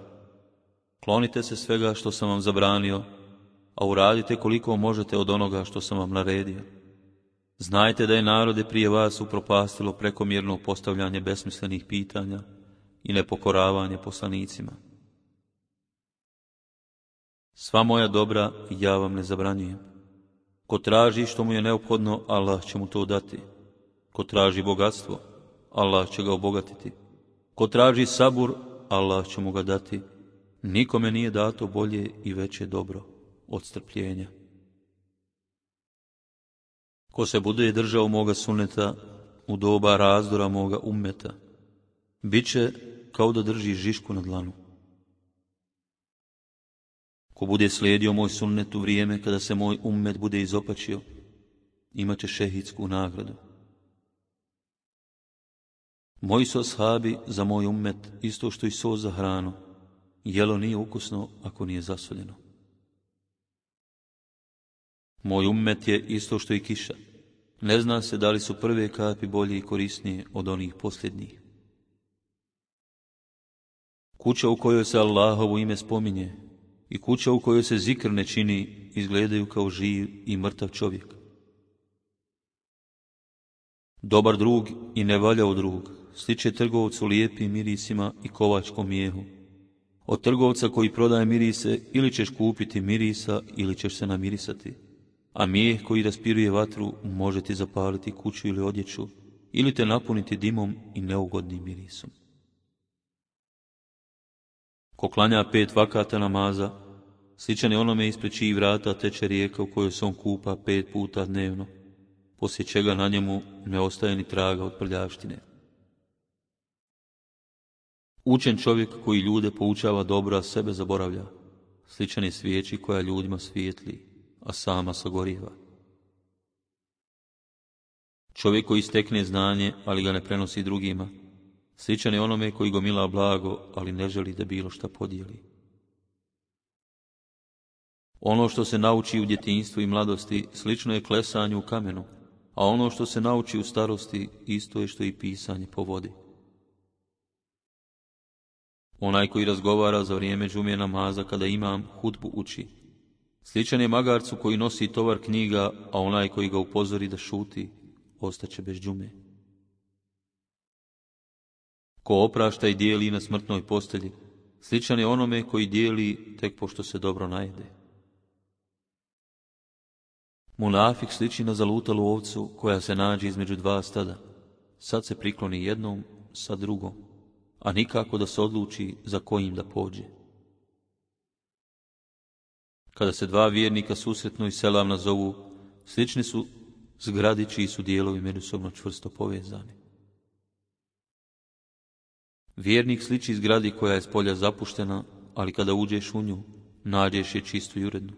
klonite se svega što sam vam zabranio, a uradite koliko možete od onoga što sam vam naredio. Znajte da je narode prije vas upropastilo prekomjerno postavljanje besmislenih pitanja i nepokoravanje poslanicima. Sva moja dobra ja vam ne zabranjujem. Ko traži što mu je neophodno, Allah će mu to dati. Ko traži bogatstvo, Allah će ga obogatiti. Ko traži sabur, Allah će mu ga dati. Nikome nije dato bolje i veće dobro od strpljenja. Ko se bude držao moga sunneta u doba razdora moga ummeta, bit će kao da drži žišku na dlanu. Ko bude slijedio moj sunnet u vrijeme kada se moj ummet bude izopačio, imat će šehidsku nagradu. Moji su ashabi za moj ummet isto što i so za hranu. Jelo nije ukusno ako nije zasoljeno. Moj ummet je isto što i kiša. Ne zna se da li su prve kapi bolje i korisnije od onih posljednjih. Kuća u kojoj se Allahovo ime spominje i kuća u kojoj se zikr ne čini izgledaju kao živ i mrtav čovjek. Dobar drug i nevaljao drug sliče trgovcu lijepim mirisima i kovačkom mijehu. Od trgovca koji prodaje mirise ili ćeš kupiti mirisa ili ćeš se namirisati, a mijeh koji raspiruje vatru može ti zapaliti kuću ili odjeću, ili te napuniti dimom i neugodnim mirisom. Ko klanja pet vakata namaza, sličan je onome ispred čijih vrata teče rijeka u kojoj se on kupa pet puta dnevno, poslije čega na njemu ne ostaje ni traga od prljavštine. Učen čovjek koji ljude poučava dobro, a sebe zaboravlja, sličan je svijeći koja ljudima svijetli, a sama sagorijeva. Čovjek koji stekne znanje, ali ga ne prenosi drugima, sličan je onome koji gomila blago, ali ne želi da bilo šta podijeli. Ono što se nauči u djetinjstvu i mladosti slično je klesanju u kamenu, a ono što se nauči u starosti isto je što i pisanje po vodi. Onaj koji razgovara za vrijeme džume namaza kada imam hudbu uči, sličan je magarcu koji nosi tovar knjiga, a onaj koji ga upozori da šuti, ostaće bez džume. Ko oprašta i dijeli na smrtnoj postelji, sličan je onome koji dijeli tek pošto se dobro najede. Munafik sliči na zalutalu ovcu koja se nađe između dva stada. Sad se prikloni jednom, sad drugom, a nikako da se odluči za kojim da pođe. Kada se dva vjernika susretnu i selam nazovu, slični su zgradi čiji su dijelovi međusobno čvrsto povezani. Vjernik sliči zgradi koja je s polja zapuštena, ali kada uđeš u nju, nađeš je čistu i urednu.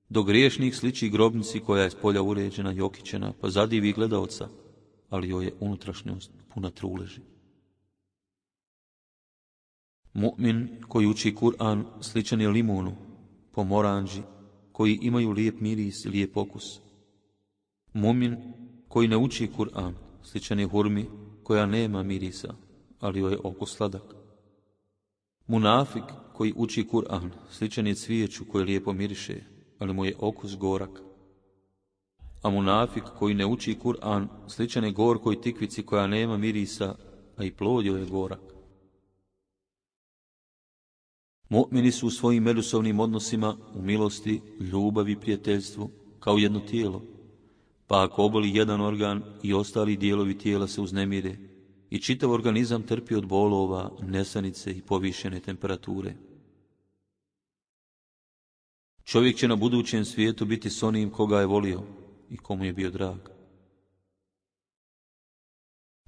Dok griješnik sliči grobnici koja je s polja uređena i okićena, pa zadivi gledaoca, ali joj je unutrašnjost puna truleži. Mu'min koji uči Kur'an sličan je limunu, pomoranđi, koji imaju lijep miris i lijep okus. Mu'min koji ne uči Kur'an sličan je hurmi koja nema mirisa, ali joj je okus sladak. Munafik koji uči Kur'an sličan je cvijeću koje lijepo miriše, ali mu je okus gorak. A munafik koji ne uči Kur'an sličan je gorkoj tikvici koja nema mirisa, a i plod joj je gorak. Mu'mini su u svojim međusobnim odnosima u milosti, ljubavi i prijateljstvu kao jedno tijelo, pa ako oboli jedan organ i ostali dijelovi tijela se uznemire i čitav organizam trpi od bolova, nesanice i povišene temperature. Čovjek će na budućem svijetu biti s onim koga je volio i komu je bio drag.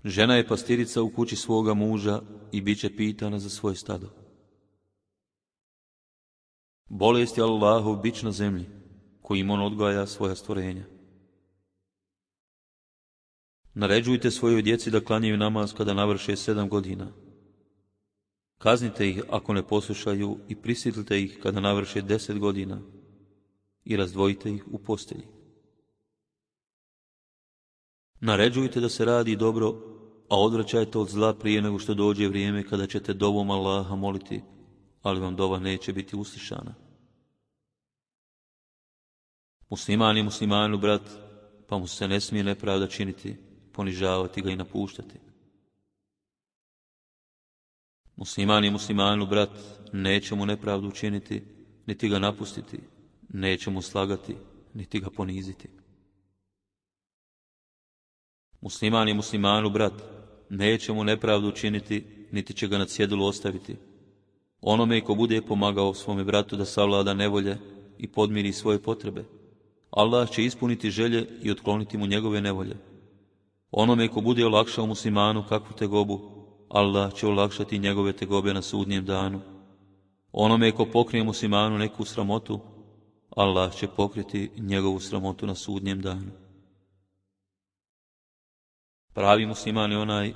Žena je pastirica u kući svoga muža i bit će pitana za svoje stado. Bolest je Allahov bič na zemlji, kojim on odgaja svoja stvorenja. Naređujte svojoj djeci da klanjaju namaz kada navrše sedam godina. Kaznite ih ako ne poslušaju i prisilite ih kada navrše deset godina i razdvojite ih u postelji. Naređujte da se radi dobro, a odvraćajte od zla prije nego što dođe vrijeme kada ćete dovom Allaha moliti, ali vam dova neće biti uslišana. Musliman je muslimanu brat, pa mu se ne smije nepravda činiti, ponižavati ga i napuštati. Musliman je muslimanu brat, neće mu nepravdu učiniti, niti ga napustiti, neće mu slagati, niti ga poniziti. Musliman je muslimanu brat, neće mu nepravdu učiniti, niti će ga na cjedilu ostaviti. Onome ko bude pomagao svome bratu da savlada nevolje i podmiri svoje potrebe, Allah će ispuniti želje i otkloniti mu njegove nevolje. Onome ko bude olakšao muslimanu kakvu tegobu, Allah će olakšati njegove tegobe na sudnjem danu. Onome ko pokrije muslimanu neku sramotu, Allah će pokriti njegovu sramotu na sudnjem danu. Pravi musliman je onaj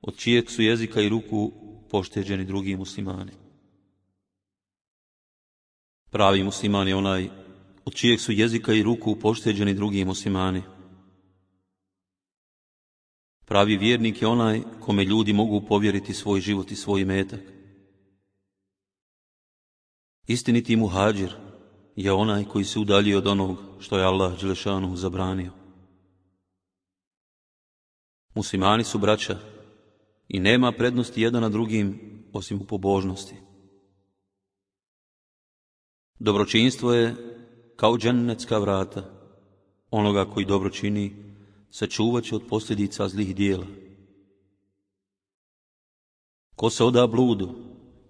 od čijeg su jezika i ruku pošteđeni drugi muslimani. Pravi musliman je onaj od čijeg su jezika i ruku pošteđeni drugi muslimani. Pravi vjernik je onaj kome ljudi mogu povjeriti svoj život i svoj imetak. Istiniti muhadžir je onaj koji se udalji od onog što je Allah dželešanu zabranio. Muslimani su braća i nema prednosti jedan na drugim osim u pobožnosti. Dobročinstvo je kao džennetska vrata onoga koji dobro čini, sačuvat će od posljedica zlih dijela. Ko se oda bludu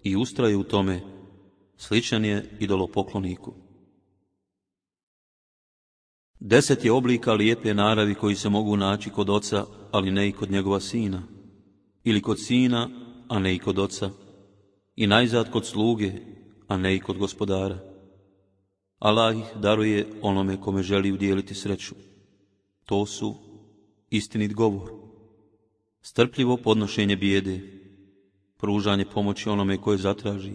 i ustraje u tome, sličan je idolopokloniku. Deset je oblika lijepe naravi koji se mogu naći kod oca, ali ne i kod njegova sina, ili kod sina, a ne i kod oca, i najzad kod sluge, a ne i kod gospodara. Allah ih daruje onome kome želi udjeliti sreću. To su istinit govor, strpljivo podnošenje bijede, pružanje pomoći onome koje zatraži,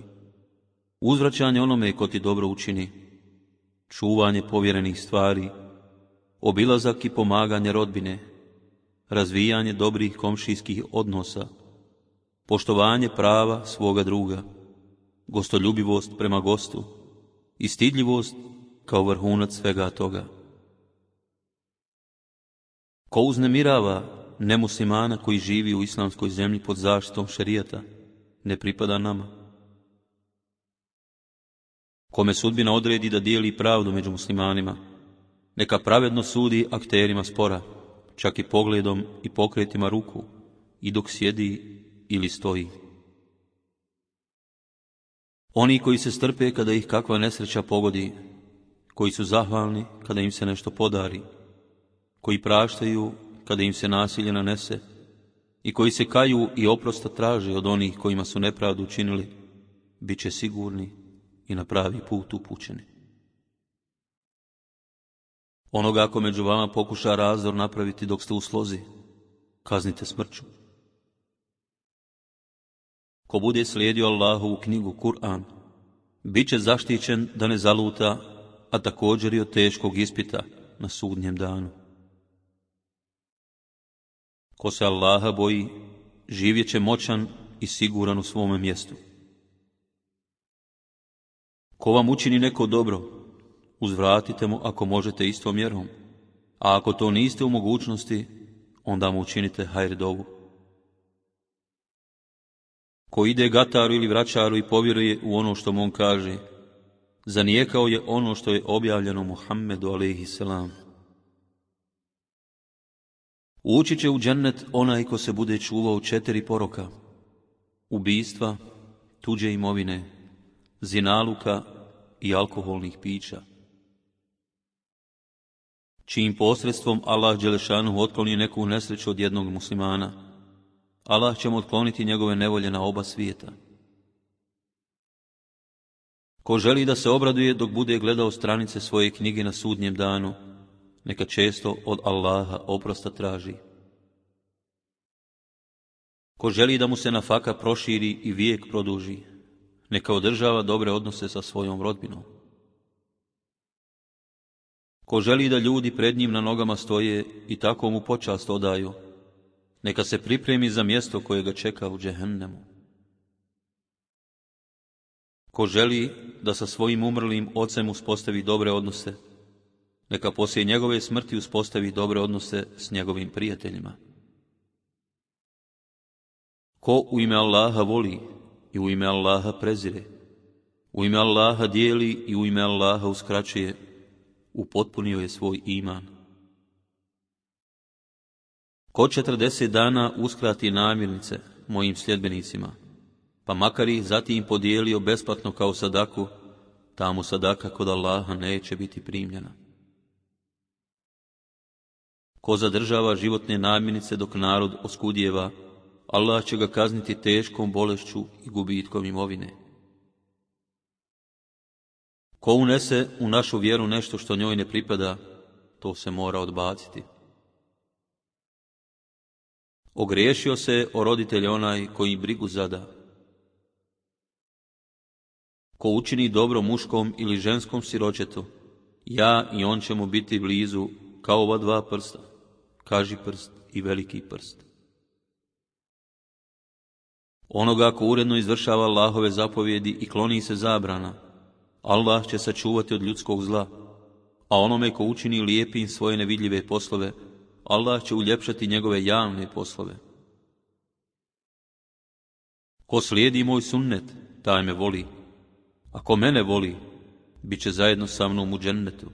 uzvraćanje onome ko ti dobro učini, čuvanje povjerenih stvari, obilazak i pomaganje rodbine, razvijanje dobrih komšijskih odnosa, poštovanje prava svoga druga, gostoljubivost prema gostu i stidljivost kao vrhunac svega toga. Ko uznemirava nemuslimana koji živi u islamskoj zemlji pod zaštitom šerijata, ne pripada nama. Kome sudbina odredi da dijeli pravdu među muslimanima, neka pravedno sudi akterima spora, čak i pogledom i pokretima ruku, i dok sjedi ili stoji. Oni koji se strpe kada ih kakva nesreća pogodi, koji su zahvalni kada im se nešto podari, koji praštaju kada im se nasilje nanese i koji se kaju i oprosta traže od onih kojima su nepravdu učinili, bit će sigurni i na pravi put upućeni. Onoga ako među vama pokuša razdor napraviti dok ste u slozi, kaznite smrću. Ko bude slijedio Allahovu knjigu Kur'an, bit će zaštićen da ne zaluta, a također i od teškog ispita na sudnjem danu. Ko se Allaha boji, živjet će moćan i siguran u svome mjestu. Ko vam učini neko dobro, uzvratite mu ako možete istom mjerom, a ako to niste u mogućnosti, onda mu učinite hajr dovu. Ko ide gataru ili vraćaru i povjeruje u ono što mu on kaže, zanijekao je ono što je objavljeno Muhammedu alejhi selam. Ući će u džennet onaj ko se bude čuvao četiri poroka: ubistva, tuđe imovine, zinaluka i alkoholnih pića. Čijim posredstvom Allah dželešanu otkloni neku nesreću od jednog muslimana, Allah će mu otkloniti njegove nevolje na oba svijeta. Ko želi da se obraduje dok bude gledao stranice svoje knjige na sudnjem danu, neka često od Allaha oprosta traži. Ko želi da mu se nafaka proširi i vijek produži, neka održava dobre odnose sa svojom rodbinom. Ko želi da ljudi pred njim na nogama stoje i tako mu počast odaju, neka se pripremi za mjesto koje ga čeka u džehennemu. Ko želi da sa svojim umrlim ocem uspostavi dobre odnose, neka poslije njegove smrti uspostavi dobre odnose s njegovim prijateljima. Ko u ime Allaha voli i u ime Allaha prezire, u ime Allaha dijeli i u ime Allaha uskraćuje, upotpunio je svoj iman. Ko četrdeset dana uskrati namirnice mojim sljedbenicima, pa makar ih zatim podijelio besplatno kao sadaku, ta mu sadaka kod Allaha neće biti primljena. Ko zadržava životne namirnice dok narod oskudijeva, Allah će ga kazniti teškom bolešću i gubitkom imovine. Ko unese u našu vjeru nešto što njoj ne pripada, to se mora odbaciti. Ogriješio se o roditelje onaj koji brigu zada. Ko učini dobro muškom ili ženskom siročetu, ja i on će mu biti blizu kao ova dva prsta, kaži prst i veliki prst. Onoga ko uredno izvršava Allahove zapovjedi i kloni se zabrana, Allah će sačuvati od ljudskog zla, a onome ko učini lijepim svoje nevidljive poslove, Allah će uljepšati njegove javne poslove. Ko slijedi moj sunnet, taj me voli. Ako mene voli, bit će zajedno sa mnom u džennetu.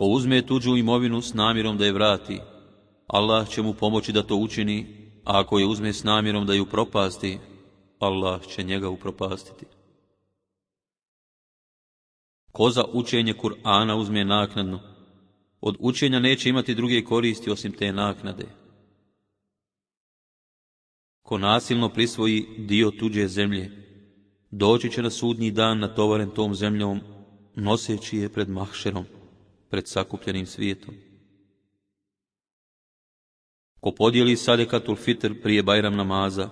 Ko uzme tuđu imovinu s namjerom da je vrati, Allah će mu pomoći da to učini, a ako je uzme s namjerom da ju propasti, Allah će njega upropastiti. Ko za učenje Kur'ana uzme naknadno, od učenja neće imati druge koristi osim te naknade. Ko nasilno prisvoji dio tuđe zemlje, doći će na sudnji dan natovaren tom zemljom, noseći je pred mahšerom, pred sakupljenim svijetom. Ko podijeli sadekatul fitr prije Bajram namaza,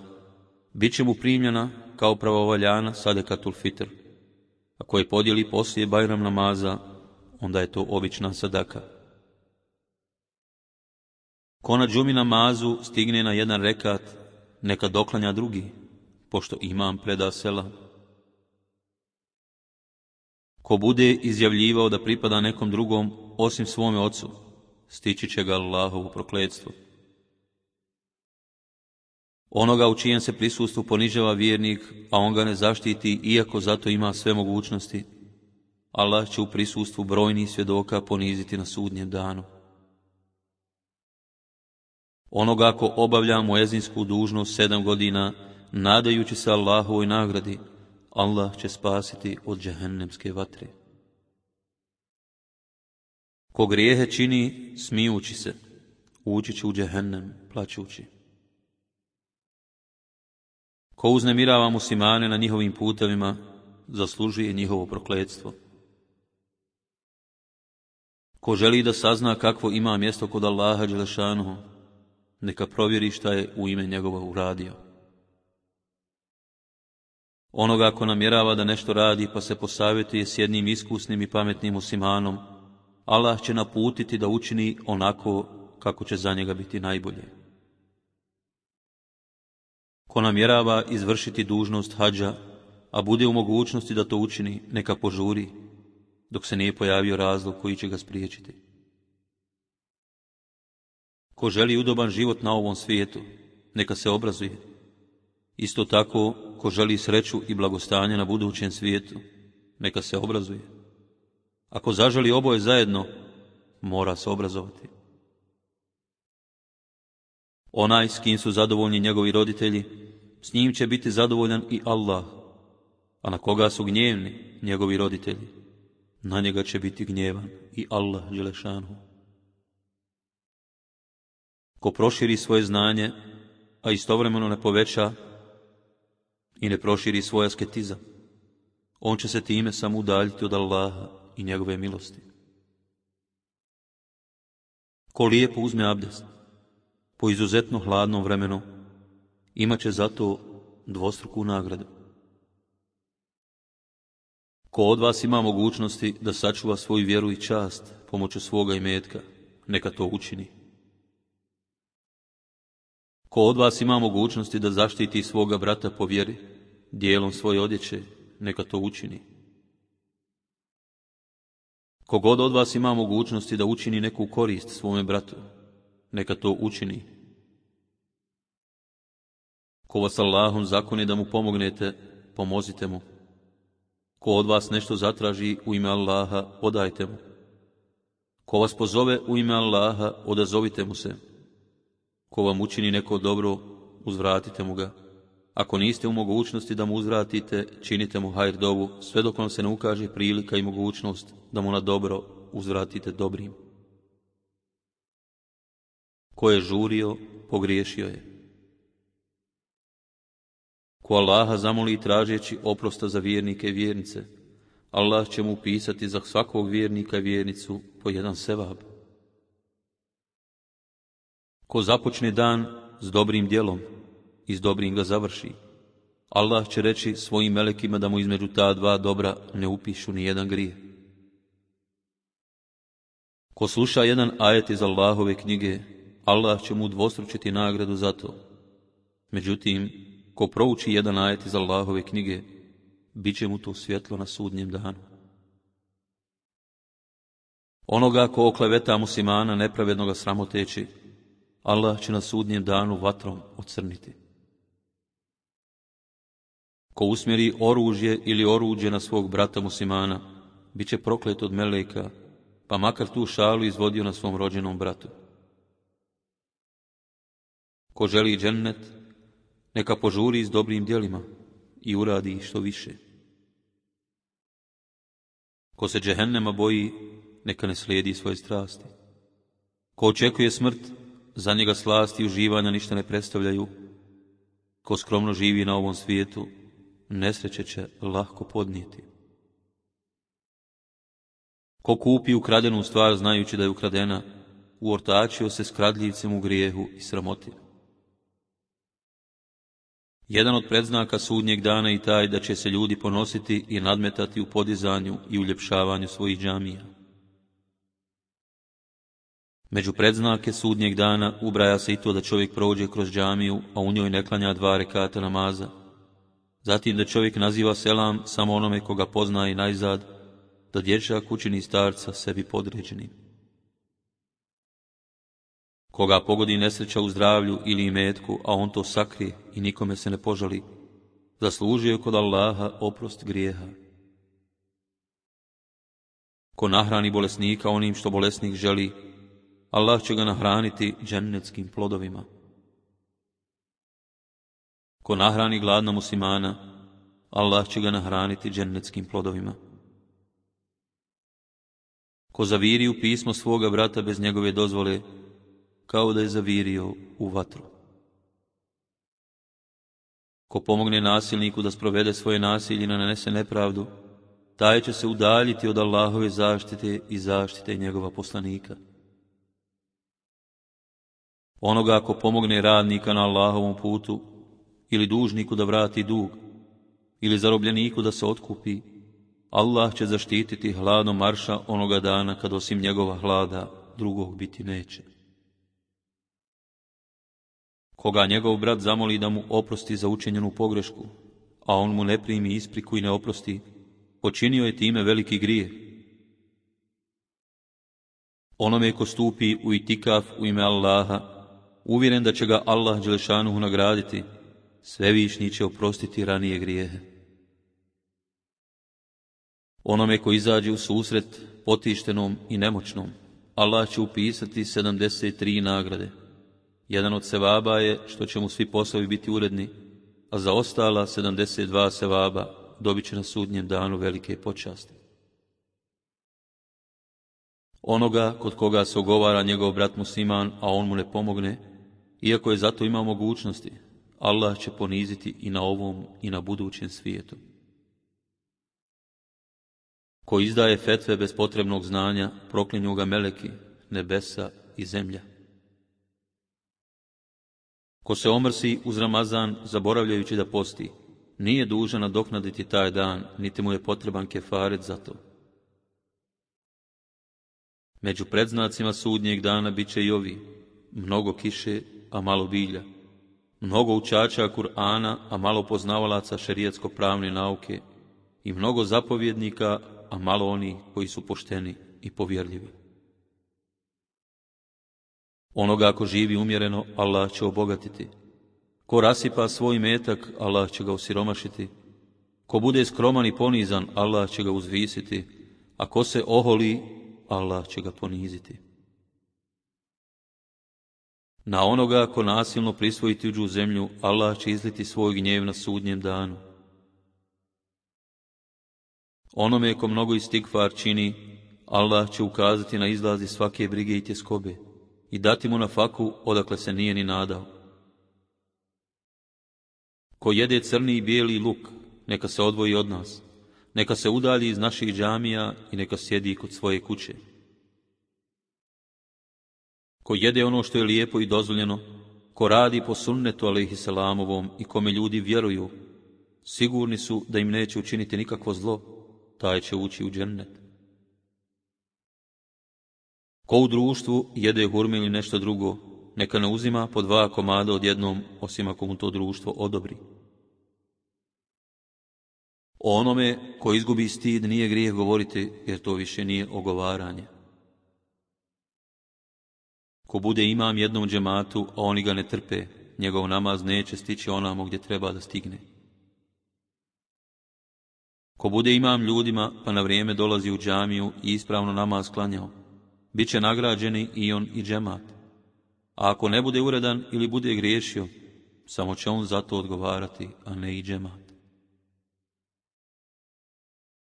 bit će mu primljena kao pravovaljana sadekatul fitr. Ako je podijeli poslije Bajram namaza, onda je to obična sadaka. Ko na džumi namazu stigne na jedan rekat, neka doklanja drugi, pošto imam preda selam. Ko bude izjavljivao da pripada nekom drugom osim svome ocu, stići će ga Allahovo prokletstvo. Onoga u čijem se prisustvu ponižava vjernik, a on ga ne zaštiti, iako zato ima sve mogućnosti, Allah će u prisustvu brojnih svjedoka poniziti na sudnjem danu. Onoga ko obavlja muezinsku dužnost sedam godina, nadajući se Allahovoj nagradi, Allah će spasiti od džehennemske vatre. Ko grijehe čini smijući se, ući će u džehennem plaćući. Ko uznemirava muslimane na njihovim putevima, zaslužuje njihovo prokletstvo. Ko želi da sazna kakvo ima mjesto kod Allaha dželešanuhu, neka provjeri šta je u ime njegova uradio. Onoga ko namjerava da nešto radi pa se posavjetuje s jednim iskusnim i pametnim muslimanom, Allah će naputiti da učini onako kako će za njega biti najbolje. Ko namjerava izvršiti dužnost hadža, a bude u mogućnosti da to učini, neka požuri, dok se nije pojavio razlog koji će ga spriječiti. Ko želi udoban život na ovom svijetu, neka se obrazuje. Isto tako, ko želi sreću i blagostanje na budućem svijetu, neka se obrazuje. Ako zaželi oboje zajedno, mora se obrazovati. Onaj s kim su zadovoljni njegovi roditelji, s njim će biti zadovoljan i Allah, a na koga su gnjevni njegovi roditelji, na njega će biti gnjevan i Allah dželešanhu. Ko proširi svoje znanje, a istovremeno ne poveća i ne proširi svoj asketizam, on će se time samo udaljiti od Allaha i njegove milosti. Ko lijepo uzme abdest, po izuzetno hladnom vremenu, imat će zato dvostruku nagradu. Ko od vas ima mogućnosti da sačuva svoju vjeru i čast pomoću svoga imetka, neka to učini. Ko od vas ima mogućnosti da zaštiti svoga brata po vjeri, dijelom svoje odjeće, neka to učini. Kogod od vas ima mogućnosti da učini neku korist svome bratu, neka to učini. Ko vas Allahom zakoni da mu pomognete, pomozite mu. Ko od vas nešto zatraži u ime Allaha, odajte mu. Ko vas pozove u ime Allaha, odazovite mu se. Ko vam učini neko dobro, uzvratite mu ga. Ako niste u mogućnosti da mu uzvratite, činite mu hajr dovu, sve dok vam se ne ukaže prilika i mogućnost da mu na dobro uzvratite dobrim. Ko je žurio, pogriješio je. Ko Allaha zamoli tražeći oprosta za vjernike i vjernice, Allah će mu upisati za svakog vjernika i vjernicu po jedan sevab. Ko započne dan s dobrim djelom i s dobrim ga završi, Allah će reći svojim melekima da mu između ta dva dobra ne upišu ni jedan grije. Ko sluša jedan ajet iz Allahove knjige, Allah će mu dvostručiti nagradu za to. Međutim, ko prouči jedan ajet iz Allahove knjige, bit će mu to svjetlo na sudnjem danu. Onoga ko okleveta muslimana nepravednoga sramoteći, Allah će na sudnjem danu vatrom ocrniti. Ko usmjeri oružje ili oruđe na svog brata muslimana, bit će proklet od meleka, pa makar tu šalu izvodio na svom rođenom bratu. Ko želi džennet, neka požuri s dobrim djelima i uradi što više. Ko se džehennema boji, neka ne slijedi svoje strasti. Ko očekuje smrt, za njega slasti i uživanja ništa ne predstavljaju. Ko skromno živi na ovom svijetu, nesreće će lahko podnijeti. Ko kupi ukradenu stvar znajući da je ukradena, uortačio se s kradljivcem u grijehu i sramoti. Jedan od predznaka sudnjeg dana i taj da će se ljudi ponositi i nadmetati u podizanju i uljepšavanju svojih džamija. Među predznake sudnjeg dana ubraja se i to da čovjek prođe kroz džamiju, a u njoj ne klanja dva rekata namaza. Zatim da čovjek naziva selam samo onome koga pozna i najzad, da dječak učini starca sebi podređenim. Koga pogodi nesreća u zdravlju ili imetku, a on to sakrije i nikome se ne požali, zaslužio je kod Allaha oprost grijeha. Ko nahrani bolesnika onim što bolesnik želi, Allah će ga nahraniti džennetskim plodovima. Ko nahrani gladna muslimana, Allah će ga nahraniti džennetskim plodovima. Ko zaviri u pismo svoga brata bez njegove dozvole, kao da je zavirio u vatru. Ko pomogne nasilniku da sprovede svoje nasilje i nanese nepravdu, taj će se udaljiti od Allahove zaštite i zaštite njegova poslanika. Onoga ko pomogne radnika na Allahovom putu, ili dužniku da vrati dug, ili zarobljeniku da se otkupi, Allah će zaštititi hladom marša onoga dana kad osim njegova hlada drugog biti neće. Koga njegov brat zamoli da mu oprosti za učinjenu pogrešku, a on mu ne primi ispriku i ne oprosti, počinio je time veliki grijeh. Onome ko stupi u itikaf u ime Allaha, uvjeren da će ga Allah dželešanuhu nagraditi, Svevišnji će oprostiti ranije grijehe. Onome ko izađe u susret potištenom i nemoćnom, Allah će upisati sedamdeset tri nagrade. Jedan od sevaba je što će mu svi poslovi biti uredni, a za ostala sedamdeset dva sevaba dobit će na sudnjem danu velike počasti. Onoga kod koga se ogovara njegov brat musliman, a on mu ne pomogne, iako je zato imao mogućnosti, Allah će poniziti i na ovom i na budućem svijetu. Ko izdaje fetve bez potrebnog znanja, proklinju ga meleki, nebesa i zemlja. Ko se omrsi uz Ramazan, zaboravljajući da posti, nije dužan nadoknaditi taj dan, niti mu je potreban kefaret za to. Među predznacima sudnjeg dana bit će i ovi: mnogo kiše, a malo bilja, mnogo učača Kur'ana, a malo poznavalaca šerijatsko-pravne nauke, i mnogo zapovjednika, a malo oni koji su pošteni i povjerljivi. Onoga ko živi umjereno, Allah će obogatiti. Ko rasipa svoj metak, Allah će ga osiromašiti. Ko bude skroman i ponizan, Allah će ga uzvisiti, a ko se oholi, Allah će ga poniziti. Na onoga ko nasilno prisvoji tuđu zemlju, Allah će izliti svoj gnjev na sudnjem danu. Onome ko mnogo istigfar čini, Allah će ukazati na izlazi svake brige i tjeskobe i dati mu na faku odakle se nije ni nadao. Ko jede crni i bijeli luk, neka se odvoji od nas, neka se udalji iz naših džamija i neka sjedi kod svoje kuće. Ko jede ono što je lijepo i dozvoljeno, ko radi po sunnetu alejhiselamovom i kome ljudi vjeruju, sigurni su da im neće učiniti nikakvo zlo, taj će ući u džennet. Ko u društvu jede hurme ili nešto drugo, neka ne uzima po dva komada odjednom, osim ako mu to društvo odobri. O onome ko izgubi stid nije grijeh govoriti, jer to više nije ogovaranje. Ko bude imam jednom džematu, a oni ga ne trpe, njegov namaz neće stići onamo gdje treba da stigne. Ko bude imam ljudima, pa na vrijeme dolazi u džamiju i ispravno namaz klanjao, Biće nagrađeni i on i džemat. A ako ne bude uredan ili bude griješio, samo će on za to odgovarati, a ne i džemat.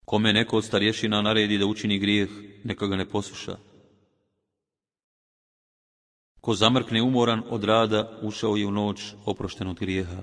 Kome neko od starješina naredi da učini grijeh, neka ga ne posluša. Ko zamrkne umoran od rada, ušao je u noć oprošten od grijeha.